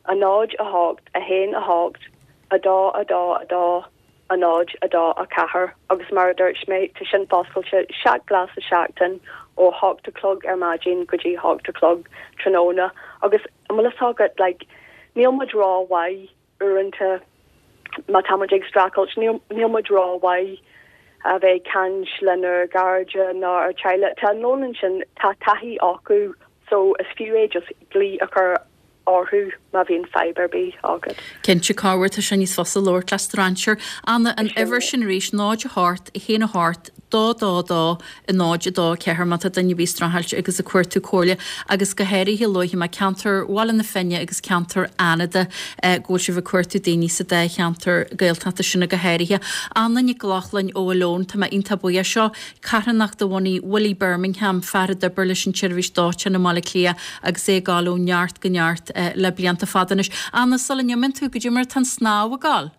a náid a hocht a haon a hocht a dó a dó a dó a náid a dó a ceathair agus mar a dúirt mé tá sin foscailte seacht lá sa seachtain ó hocht a chlog ar maidin go dtí hocht a chlog tráthnóna agus an bhfuil a fhios agat like níl muid rómhaith uaireanta má tá muid ag streachailt níl níl muid rómhaith a bheith ag caint lenár gcairde ná ár teaghlach tá an lónán sin tá taithí acu so is fiú é just glaoch a chur orthu má bhíonn fadhb ar bith agat. Cinnte corruair tá sé níos fusa labhairt le strainséir. Anna an uimhir sin arís náid a hocht a haon a hocht dó dó dó a náid a dó ceathair má tá duine ar bith ag streachailt agus ag cuartú comhairle agus go háirithe luaigh mé ceantar Bhaile na Finne agus ceantar Fhánada go bhfuil sibh ag cuartú daoine sa dá cheantar Gaeltachta sin go háirithe. Anna Nic Lochlainn ó Oileán tá mé iontach buíoch seo carthanacht a bhunaigh Willie Birmingham fear a d'oibir leis an tseirbhís dóiteáin i mBaile Átha Cliath agus é ag dul ó neart go neart le blianta fada anois. Anna sula n-imíonn tú goidé mar atá an snámh ag gabháil?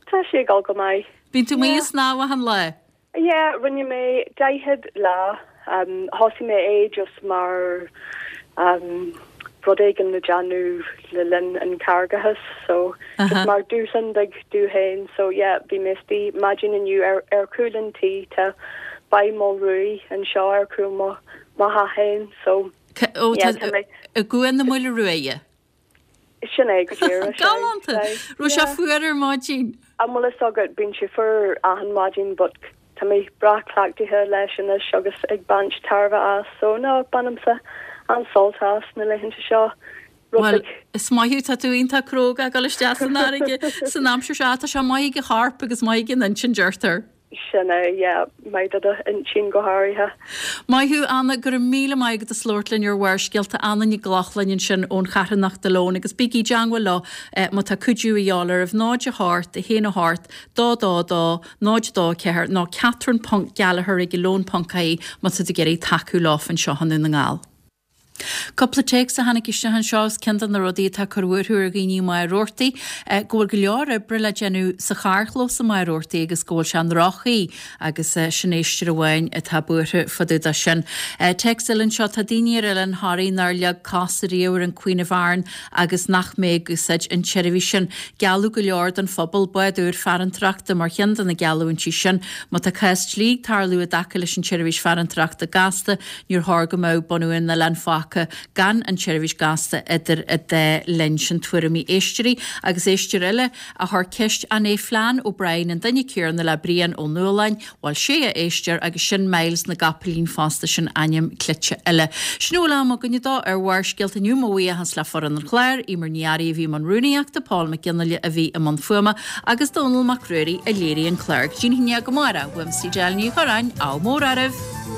Tá sé ag gabháil go maith. Bíonn tú amuigh ag snámh achan lá? Yeah, rinne mé daichead lá. Um, thosaigh mé é just mar um, rud éigin le déanamh le linn an chargachas so uh -huh. just mar dúshlán beag dom féin so yeah bhí mé istigh maidin inniu ar ar chúl an tí tá Baie Maoil Ruaidh anseo ar chúl mo mo theach féin so Ó i gCuan na Maoile Ruaidhe. Sin é go díreach. Galánta! Raibh sé fuar ar maidin? An bhfuil a fhios agat bíonn sé fuar achan maidin but tá mé breá cleachtaithe leis anois agus ag baint tairbhe as so no bainimse an-sult as na laethanta seo. Bhuel, is maith thú, tá tú iontach cróga ag dul isteach san fharraige san aimsir seo, tá sé maith ag an chorp agus maith ag an intinn deirtear. Sin é, yeah, maith do d'intinn go háirithe. Maith thú, Anna, go raibh míle maith agat as labhairt linn ar Bharrscéalta. Anna Nic Lochlainn ansin ón charthanacht Oileán agus bígí i dteangmháil leo má tá cuidiú a dhíobháil oraibh. náid a hocht, a haon a hocht, dó dó dó, náid dó ceathair nó Catherine ponc Gallagher ag oileán ponc ie má tá tú ag iarraidh tacú leo anseo i nDún na nGall. Cúpla téacs a tháinig isteach anseo is ceann de na rudaí atá ag cur buartha ar dhaoine i Machaire Rabhartaigh, go bhfuil go leor oibre le déanamh sa charrchlós i Machaire Rabhartaigh agus go bhfuil sé i ndroch-chaoi agus sin éisteoir amháin atá buartha fá dtaobh de sin. Téacs eile anseo, tá daoine ar Oileán Thoraí nár leag cos ariamh ar an Queen of Aran agus nach mbeidh ag úsáid an tseirbhís sin. Gealladh go leor don phobal, bád úr farantóireachta mar cheann de na geallúintí sin. Má tá cás dlí ag tarlú i dtaca leis an tseirbhís farantóireachta gasta, níor chóir go mbeadh bunú an oileáin fágtha gan an tseirbhís gasta idir an dá linn. Sin tuairimí éisteoirí agus éisteoir eile a chuir ceist an é Flann O'Brien an duine céanna le Brian Ó Nualláin, bhuel sé a éisteoir agus sin Myles na gCopaleen fosta sin ainm cleite eile. Sin a bhfuil am againne dó ar Bharrscéalta inniu mo bhuíochas le foireann an chláir, Emer Ní Fhearraigh a bhí i mbun rúnaíochta, Paul Mac Fhionnghaile a bhí i mbun fuaime agus Dónall Mac Ruairí a léirigh an clár. Go dtí an haon déag amárach, uaimse Edel Ní Chorráin, ádh mór oraibh!